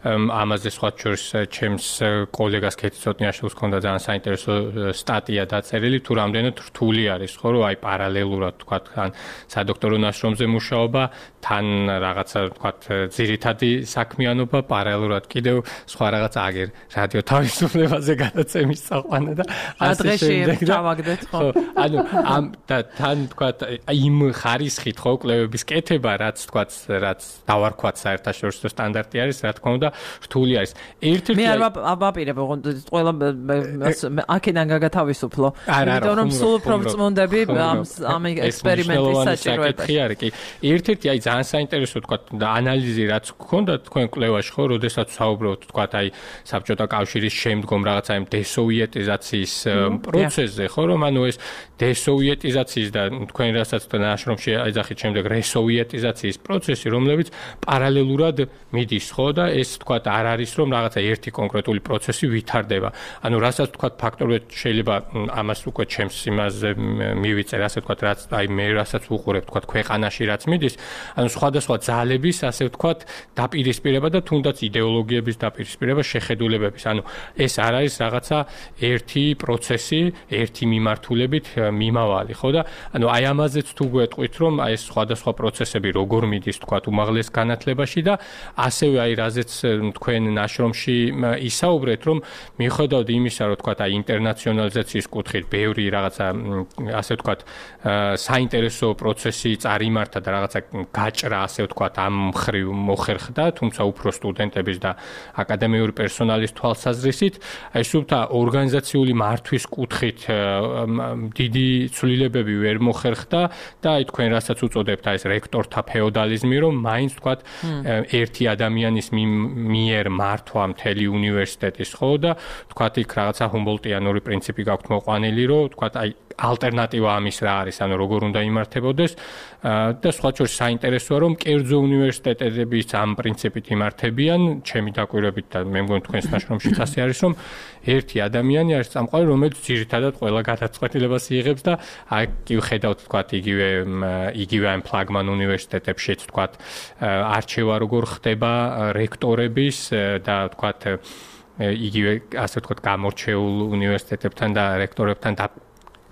ამაზე სხვა შორის ჩემს კოლეგას კეთი ცოტნიაშვილს ჰქონდა ძალიან საინტერესო სტატია დაწერილი თუ რამდენად რთული არის ხო რომ აი პარალელურად ვთქვათ ან სადოქტორო ნაშრომზე მუშაობა თან რაღაცა ვთქვათ ძირითადი საქმიანობა პარალელურად კიდევ სხვა რაღაცა აგერ რადიო თავისუფლებაზე გადაცემის წაყვანა და ასე შემდეგ და დავაგდეთ ხო ანუ ამ და თან ვთქვათ იმ ხარისხით ხო კვლევების კეთება რაც ვთქვათ რაც დავარქვათ საერთაშორისო სტანდარტი არის რა თქმა უნდა რთული არის ერთ-ერთი მე არ ვაპირებ ყველა აქედან გაგათავისუფლო იმიტომ რომ სულ უფრო წმუნდები ამ ამ ექსპერიმენტის საჭიროებაში არის კი ერთ-ერთი აი ძალიან საინტერესო ვთქვათ ანალიზი რაც გქონდა თქვენ კვლევაში ხო როდესაც საუბრობთ ვთქვათ აი საბჭოთა კავშირის შემდგომ რაღაცა იმ დესოვიეტიზაციის პროცესზე ხო რომ ანუ ეს დესოვიეტიზაციის და თქვენ რასაც ნაშრომში აიძახით შემდეგ რესოვიეტიზაციის პროცესი რომლებიც პარალელურად მიდის ხო და ეს ვთქვათ არ არის რომ რაღაცა ერთი კონკრეტული პროცესი ვითარდება ანუ რასაც ვთქვათ ფაქტობრივად შეიძლება ამას უკვე ჩემს იმაზე მივიწერ ასე ვთქვათ რაც აი მე რასაც უყურებ ვთქვათ ქვეყანაში რაც მიდის ანუ სხვადასხვა ძალების ასე ვთქვათ დაპირისპირება და თუნდაც იდეოლოგიების დაპირისპირება შეხედულებების ანუ ეს არ არის რაღაცა ერთი პროცესი ერთი მიმართულებით მიმავალი ხო და ანუ აი ამაზეც თუ გვეტყვით რომ აი ეს სხვადასხვა პროცესები როგორ მიდის ვთქვათ უმაღლეს განათლებაში და ასევე აი რაზეც თქვენ ნაშრომში ისაუბრეთ რომ მიუხედავად იმისა რომ ვთქვათ აი ინტერნაციონალიზაციის კუთხით ბევრი რაღაცა ასე ვთქვათ საინტერესო პროცესი წარიმართა და რაღაცა გაჭრა ასე ვთქვათ ამ მხრივ მოხერხდა თუმცა უფრო სტუდენტების და აკადემიური პერსონალის თვალსაზრისით აი სულთა ორგანიზაციული მართვის კუთხით დიდი ცვლილებები ვერ მოხერხდა და აი თქვენ რასაც უწოდებთ აი ეს რექტორთა ფეოდალიზმი რომ მაინც ვთქვათ ერთი ადამიანის მიერ მართვა მთელი უნივერსიტეტის ხო და ვთქვათ იქ რაღაცა ჰუმბოლტიანური პრინციპი გაქვთ მოყვანილი რომ ვთქვათ აი ალტერნატივა ამის რა არის ანუ როგორ უნდა იმართებოდეს და სხვა შორის საინტერესოა რომ კერძო უნივერსიტეტებიც ამ პრინციპით იმართებიან ჩემი დაკვირვებით და მე მგონი თქვენს ნაშრომშიც ასე არის რომ ერთი ადამიანი არის წამყვანი რომელიც ძირითადად ყველა გადაწყვეტილებას იღებს და აი კი ვხედავთ ვთქვათ იგივე იგივე ამ ფლაგმან უნივერსიტეტებშიც ვთქვათ არჩევა როგორ ხდება რექტორების და ვთქვათ იგივე ასე ვთქვათ გამორჩეულ უნივერსიტეტებთან და რექტორებთან და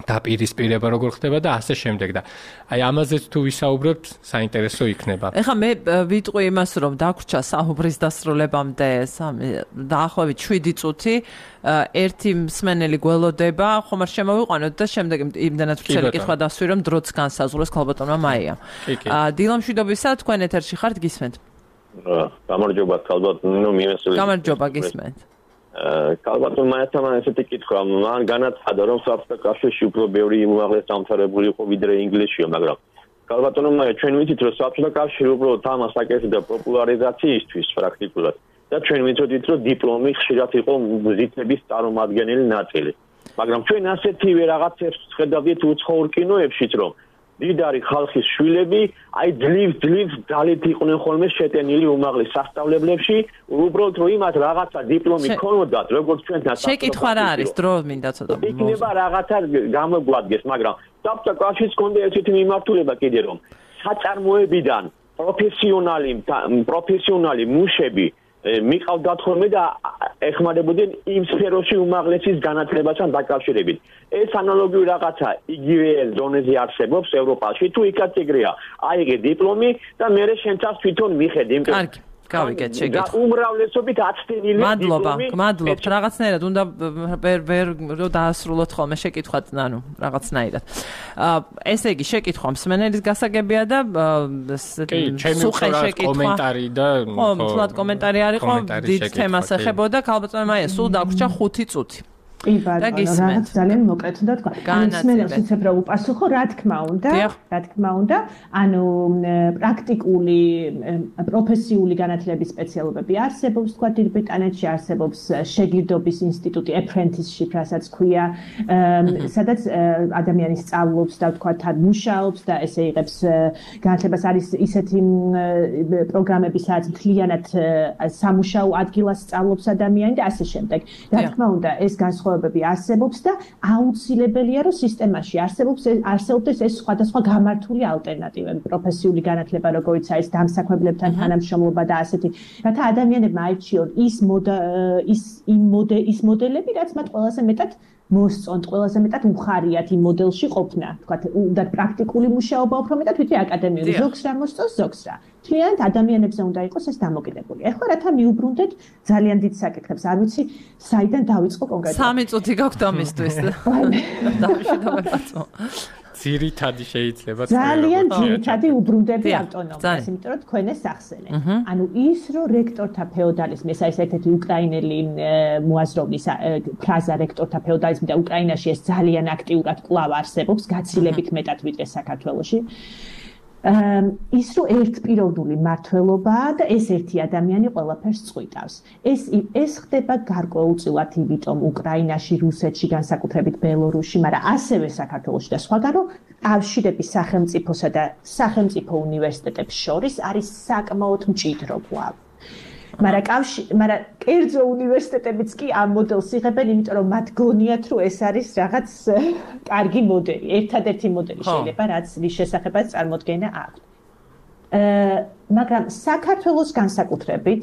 დაპირისპირება როგორ ხდება და ასე შემდეგ და აი ამაზეც თუ ვისაუბრებთ საინტერესო იქნება. ეხლა მე ვიტყვი იმას რომ დაგვრჩა საუბრის დასრულებამდე დაახლოებით შვიდი წუთი ერთი მსმენელი გველოდება ხომ არ შემოვიყვანოთ და შემდეგ იმდანაც ვცელი კითხვა დასვი რომ დროც განსაზღვროს ქალბატონმა მაია. დილამშვიდობისა თქვენ ეთერში ხართ გისმენთ? გამარჯობა ქალბატონო მიმესწრებით. გამარჯობა გისმენთ. ქალბატონ მაიასთან ესეთი კითხვა მან განაცხადა რომ საბჭოთა კავშირში უფრო ბევრი უმაღლეს დამთავრებული იყო ვიდრე ინგლისშია მაგრამ ქალბატონო მაია ჩვენ ვიცით რომ საბჭოთა კავშირი უბრალოდ ამას აკეთებდა პოპულარიზაციისთვის პრაქტიკულად და ჩვენ ვიცოდით, რომ დიპლომი ხშირად იყო მუზეების წარმომადგენელი ნაწილი. მაგრამ ჩვენ ასეთივე რაღაცებს ხედავდით უცხოურ კინოებშიც, რომ დიდარი ხალხის შვილები, აი ძლივ ძლივ ძალით იყვნენ ხოლმე შეტენილი უმაღლეს სასწავლებლებში, უბრალოდ რომ იმათ რაღაცა დიპლომი ქონოდათ, როგორც ჩვენთან შეკითხვა რა არის, დრო მინდა ცოტა. იქნება რაღაცა გამოგვადგეს, მაგრამ საბჭოთა კავშირს ჰქონდა ესეთი მიმართულება კიდე რომ საწარმოებიდან პროფესიონალი პროფესიონალი მუშები მიყავდათ ხოლმე და ეხმარებოდნენ იმ სფეროში უმაღლესის განათლებასთან დაკავშირებით. ეს ანალოგიური რაღაცა იგივე ზონეზე არსებობს ევროპაში, თუ იქაც ეგრეა. აიღე დიპლომი და მერე შენთან თვითონ მიხედი. კარგი, გავიგეთ შეკითხვა. უმრავლესობით აცდენილი დიპლომი. მადლობა, მადლობთ. რაღაცნაირად უნდა ვერ ვერ რომ დაასრულოთ ხოლმე შეკითხვაც, ანუ რაღაცნაირად. ესე იგი შეკითხვა მსმენელის გასაგებია და სუყე შეკითხვა კომენტარი და ხო, თლად კომენტარი არისო, დიდ თემას ეხებოდა, ქალბატონო მაია, სულ დაგვრჩა ხუთი წუთი. კი ბატონო, რაღაც ძალიან მოკლედ უნდა თქვა. მსმენელს იცებ რა უპასუხო, რა თქმა უნდა, რა თქმა უნდა, ანუ პრაქტიკული პროფესიული განათლების სპეციალობები არსებობს, თქვა დიდ ბრიტანეთში არსებობს შეგირდობის ინსტიტუტი, apprenticeship, რასაც ქვია, სადაც ადამიანი სწავლობს და თქვა თან მუშაობს და ესე იღებს განათლებას, არის ისეთი პროგრამები, სადაც მთლიანად სამუშაო ადგილას სწავლობს ადამიანი და ასე შემდეგ. რა თქმა უნდა, ეს განსხვავებული არსებობს და აუცილებელია რომ სისტემაში არსებობს არსებობს ეს სხვადასხვა გამართული ალტერნატივები პროფესიული განათლება როგორიც არის დამსაქმებლებთან თანამშრომლობა და ასეთი რათა ადამიანებმა აირჩიონ ის ის იმ ის მოდელები რაც მათ ყველაზე მეტად მოსწონთ ყველაზე მეტად უხარიათ იმ მოდელში ყოფნა თქვა უნდა პრაქტიკული მუშაობა უფრო მეტად ვიდრე აკადემიური ზოგს რა მოსწონს ზოგს რა თლიანად ადამიანებზე უნდა იყოს ეს დამოკიდებული. ეხლა რათა მიუბრუნდეთ ძალიან დიდ საკითხებს. არ ვიცი, საიდან დავიწყო კონკრეტულად. სამი წუთი გაქვთ ამისთვის. დავიშედავებაცო. ძირითადი შეიძლება ძალიან ძირითადი უბრუნდები ავტონომიას, იმიტომ რომ თქვენ ეს ახსენეთ. ანუ ის რომ რექტორთა ფეოდალიზმი, ეს არის ერთ-ერთი უკრაინელი მოაზროვნის ფრაზა რექტორთა ფეოდალიზმი და უკრაინაში ეს ძალიან აქტიურად კვლავ არსებობს, გაცილებით მეტად ვიდრე საქართველოში. ის რომ ერთპიროვნული მართლობაა და ეს ერთი ადამიანი ყველაფერს წყვიტავს. ეს ეს ხდება გარკვეულწილად იმიტომ უკრაინაში, რუსეთში, განსაკუთრებით ბელორუსში, მაგრამ ასევე საქართველოში და სხვაგან რომ კავშირები სახელმწიფოსა და სახელმწიფო უნივერსიტეტებს შორის არის საკმაოდ მჭიდრო კვლავ. მაგრამ კავშირი, მაგრამ კერძო უნივერსიტეტებიც კი ამ მოდელს იღებენ, იმიტომ რომ მათ გონიათ, რომ ეს არის რაღაც კარგი მოდელი, ერთადერთი მოდელი შეიძლება, რაც რის შესახებაც წარმოდგენა აქვს. მაგრამ საქართველოს განსაკუთრებით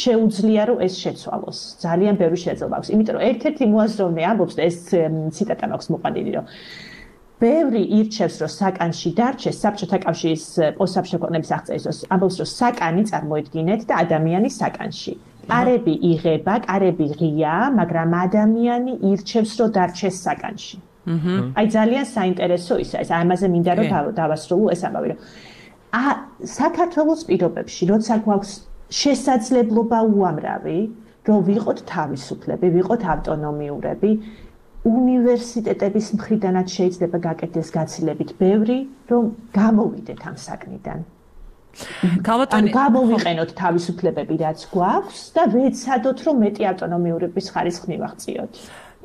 შეუძლია რომ ეს შეცვალოს. ძალიან ბევრი შეძლება აქვს, იმიტომ რომ ერთ-ერთი მოაზროვნე ამბობს და ეს ციტატა მაქვს მოყვანილი, რომ ბევრი ირჩევს რომ საკანში დარჩეს საბჭოთა კავშირის პოსტსაბჭოთა ქვეყნების აღწერის ამბობს რომ საკანი წარმოედგინეთ და ადამიანი საკანში. კარები იღება, კარები ღია, მაგრამ ადამიანი ირჩევს რომ დარჩეს საკანში. აი ძალიან საინტერესო ისა ეს ამაზე მინდა რომ დავასრულო ეს ამბავი რომ ა საქართველოს პირობებში როცა გვაქვს შესაძლებლობა უამრავი რომ ვიყოთ თავისუფლები, ვიყოთ ავტონომიურები უნივერსიტეტების მხრიდანაც შეიძლება გაკეთდეს გაცილებით ბევრი, რომ გამოვიდეთ ამ საქმიდან. ქალბატონი, გამოვიყენოთ თავისუფლებები, რაც გვაქვს და ვეცადოთ, რომ მეტი ავტონომიურობის ხარისხი მივაღწიოთ.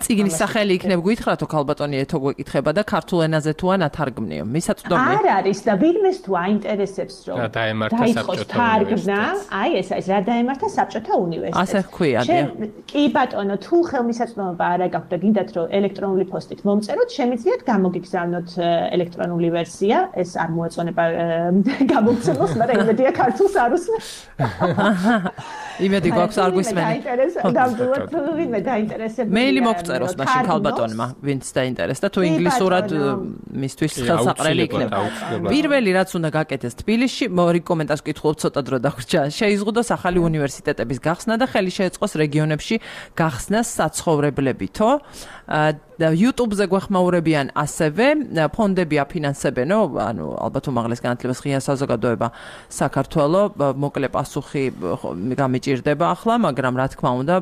წიგნის სახელი იქნებ გითხრათო ქალბატონი ეთო გვეკითხება და ქართულ ენაზე თუ ან ათარგმნიო. მისაწვდომია. არ არის და ვინმეს თუ აინტერესებს რომ დაემართა საბჭოთა უნივერსიტეტს. აი ეს არის რა დაემართა საბჭოთა უნივერსიტეტს. ასე ხქვია, დიახ. კი ბატონო, თუ ხელმისაწვდომობა არ აქვს და გინდათ რომ ელექტრონული პოსტით მომწეროთ, შემიძლიათ გამოგიგზავნოთ ელექტრონული ვერსია, ეს არ მოეწონება გამოგცემოს, მაგრამ იმედია ქართულს არ უსმენთ. იმედი გვაქვს არ გვისმენთ. დავდუოთ ვინმე დაინტერესებული. მეილი მოგწეროს მაშინ ქალბატონმა, ვინც დაინტერესდა, თუ ინგლისურად მისთვის ხელსაყრელი იქნება. პირველი რაც უნდა გაკეთდეს თბილისში, მორი კომენტარს ვკითხულობ ცოტა დრო დავრჩა. შეიზღუდოს ახალი უნივერსიტეტების გახსნა და ხელი შეეწყოს რეგიონებში გახსნას საცხოვრებლებითო. YouTube-ზე გვეხმაურებიან ასევე ფონდები აფინანსებენო, ანუ ალბათ უმაღლეს განათლებას ღია საზოგადოება საქართველო, მოკლე პასუხი გამიჭირდება ახლა, მაგრამ რა თქმა უნდა,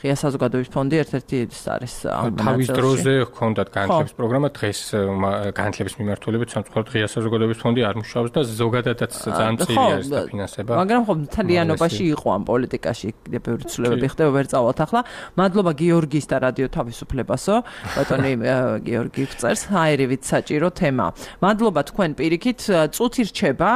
ღია საზოგადოების ფონდი ერთ-ერთი არის ამ თავის დროზე ჰქონდათ განათლების პროგრამა, დღეს განათლების მიმართულებით სამწუხაროდ ღია საზოგადოების ფონდი არ მუშაობს და ზოგადადაც ძალიან მწირი არის დაფინანსება. მაგრამ ხო მთლიანობაში იყო ამ პოლიტიკაში კიდევ ბევრი ცვლილებები ხდება, ვერ წავალთ ახლა. მადლობა გიორგის და რადიო თავისუფლებასო, ბატონი გიორგი წერს, აირივით საჭირო თემა. მადლობა თქვენ პირიქით, წუთი რჩება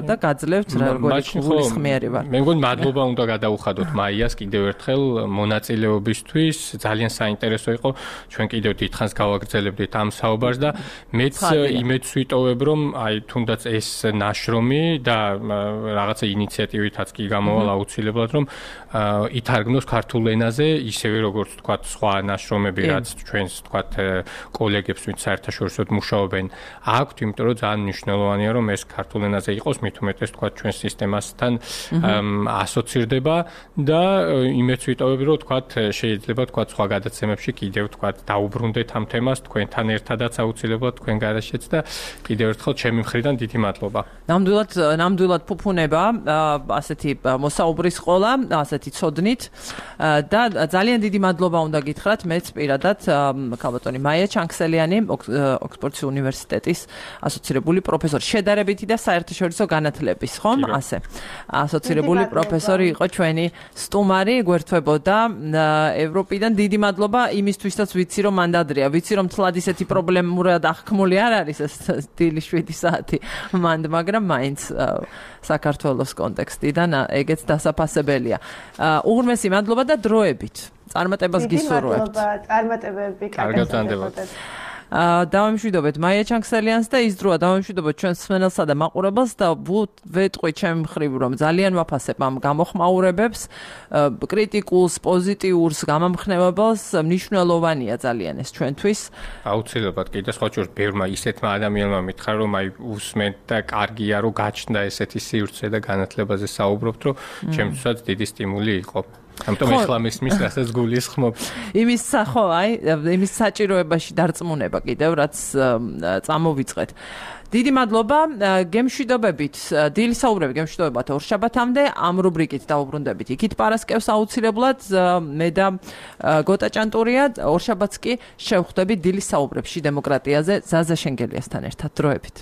და გაძლევთ როგორი გულისხმიერი ვარ. მე მგონი მადლობა უნდა გადაუხადოთ მაიას კიდევ ერთხელ მონაწილეობისთვის, ძალიან საინტერესო იყო. ჩვენ კიდევ დიდხანს გავაგრძელებდით ამ საუბარს და მეც იმედს ვიტოვებ, რომ აი თუნდაც ეს ნაშრომი და რაღაცა ინიციატივითაც კი გამოვალ აუცილებლად, რომ ითარგმნოს ქართულ ენაზე, ისევე როგორც თქვათ სხვა ნაშრომები, რაც ჩვენს თქვათ კოლეგებს, ვინც საერთაშორისოდ მუშაობენ, აქვთ, იმიტომ რომ ძალიან მნიშვნელოვანია, რომ ეს ქართულ ენაზე იყოს, მით უმეტეს თქვათ ჩვენ სისტემასთან ასოცირდება და იმედს ვიტოვებ, რომ თქვათ შეიძლება თქვათ სხვა გადაცემებში კიდევ თქვათ დაუბრუნდეთ ამ თემას, თქვენთან ერთადაც აუცილებლად თქვენ გარშეც და კიდევ ერთხელ ჩემი მხრიდან დიდი მადლობა. ნამდვილად ნამდვილად ფუფუნება ასეთი მოსაუბრის ყოლა, ასეთი ცოდნით და ძალიან დიდი მადლობა უნდა გითხრათ მეც პირადად ქალბატონი მაია ჩანქსელიანი, ოქსფორდის უნივერსიტეტის ასოცირებული პროფესორი, შედარებითი და საერთაშორისო განათლების, ხომ? ასე. ასოცირებული პროფესორი იყო ჩვენი სტუმარი, გვერდთვებოდა ევროპიდან. დიდი მადლობა იმისთვისაც ვიცი რომ მანდადრია, ვიცი რომ თლად ისეთი პრობლემურად აღქმული არ არის ეს დილი შვიდი საათი მანდ, მაგრამ მაინც საქართველოს კონტექსტიდან ეგეც დასაფასებელია. უღრმესი მადლობა და დროებით. წარმატებას გისურვებთ. მადლობა, წარმატებები, კარგად ვანდებოთ. დავამშვიდობთ მაია ჩანქსელიანს და ის დროა დავამშვიდობთ ჩვენს მსმენელსა და მაყურებელს და ვეტყვი ჩემი მხრივ რომ ძალიან ვაფასებ ამ გამოხმაურებებს, კრიტიკულს, პოზიტიურს, გამამხნევებელს, მნიშვნელოვანია ძალიან ეს ჩვენთვის. აუცილებლად კიდე სხვა ჯერ ბევრმა ისეთმა ადამიანმა მითხრა რომ აი უსმენთ და კარგია რომ გაჩნდა ესეთი სივრცე და განათლებაზე საუბრობთ, რომ ჩემთვისაც დიდი სტიმული იყო. ამიტომ ეხლა მისმის რასაც გულისხმობ. იმის ხო, აი, იმის საჭიროებაში დარწმუნება კიდევ რაც წამოვიწყეთ. დიდი მადლობა, გემშვიდობებით, დილის საუბრები გემშვიდობებათ ორშაბათამდე, ამ რუბრიკით დავუბრუნდებით. იქით პარასკევს აუცილებლად მე და გოტა ჭანტურია, ორშაბათს კი შევხვდებით დილის საუბრებში დემოკრატიაზე ზაზა შენგელიასთან ერთად. დროებით.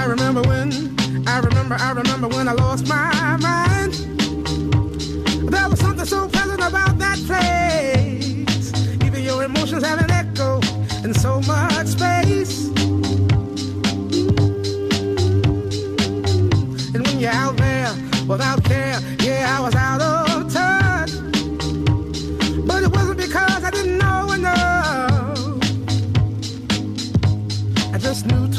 I remember when, I remember, I remember when I lost my mind. There was something so pleasant about that place. Even your emotions have an echo in so much space. And when you're out there without care, yeah, I was out of touch. But it wasn't because I didn't know enough. I just knew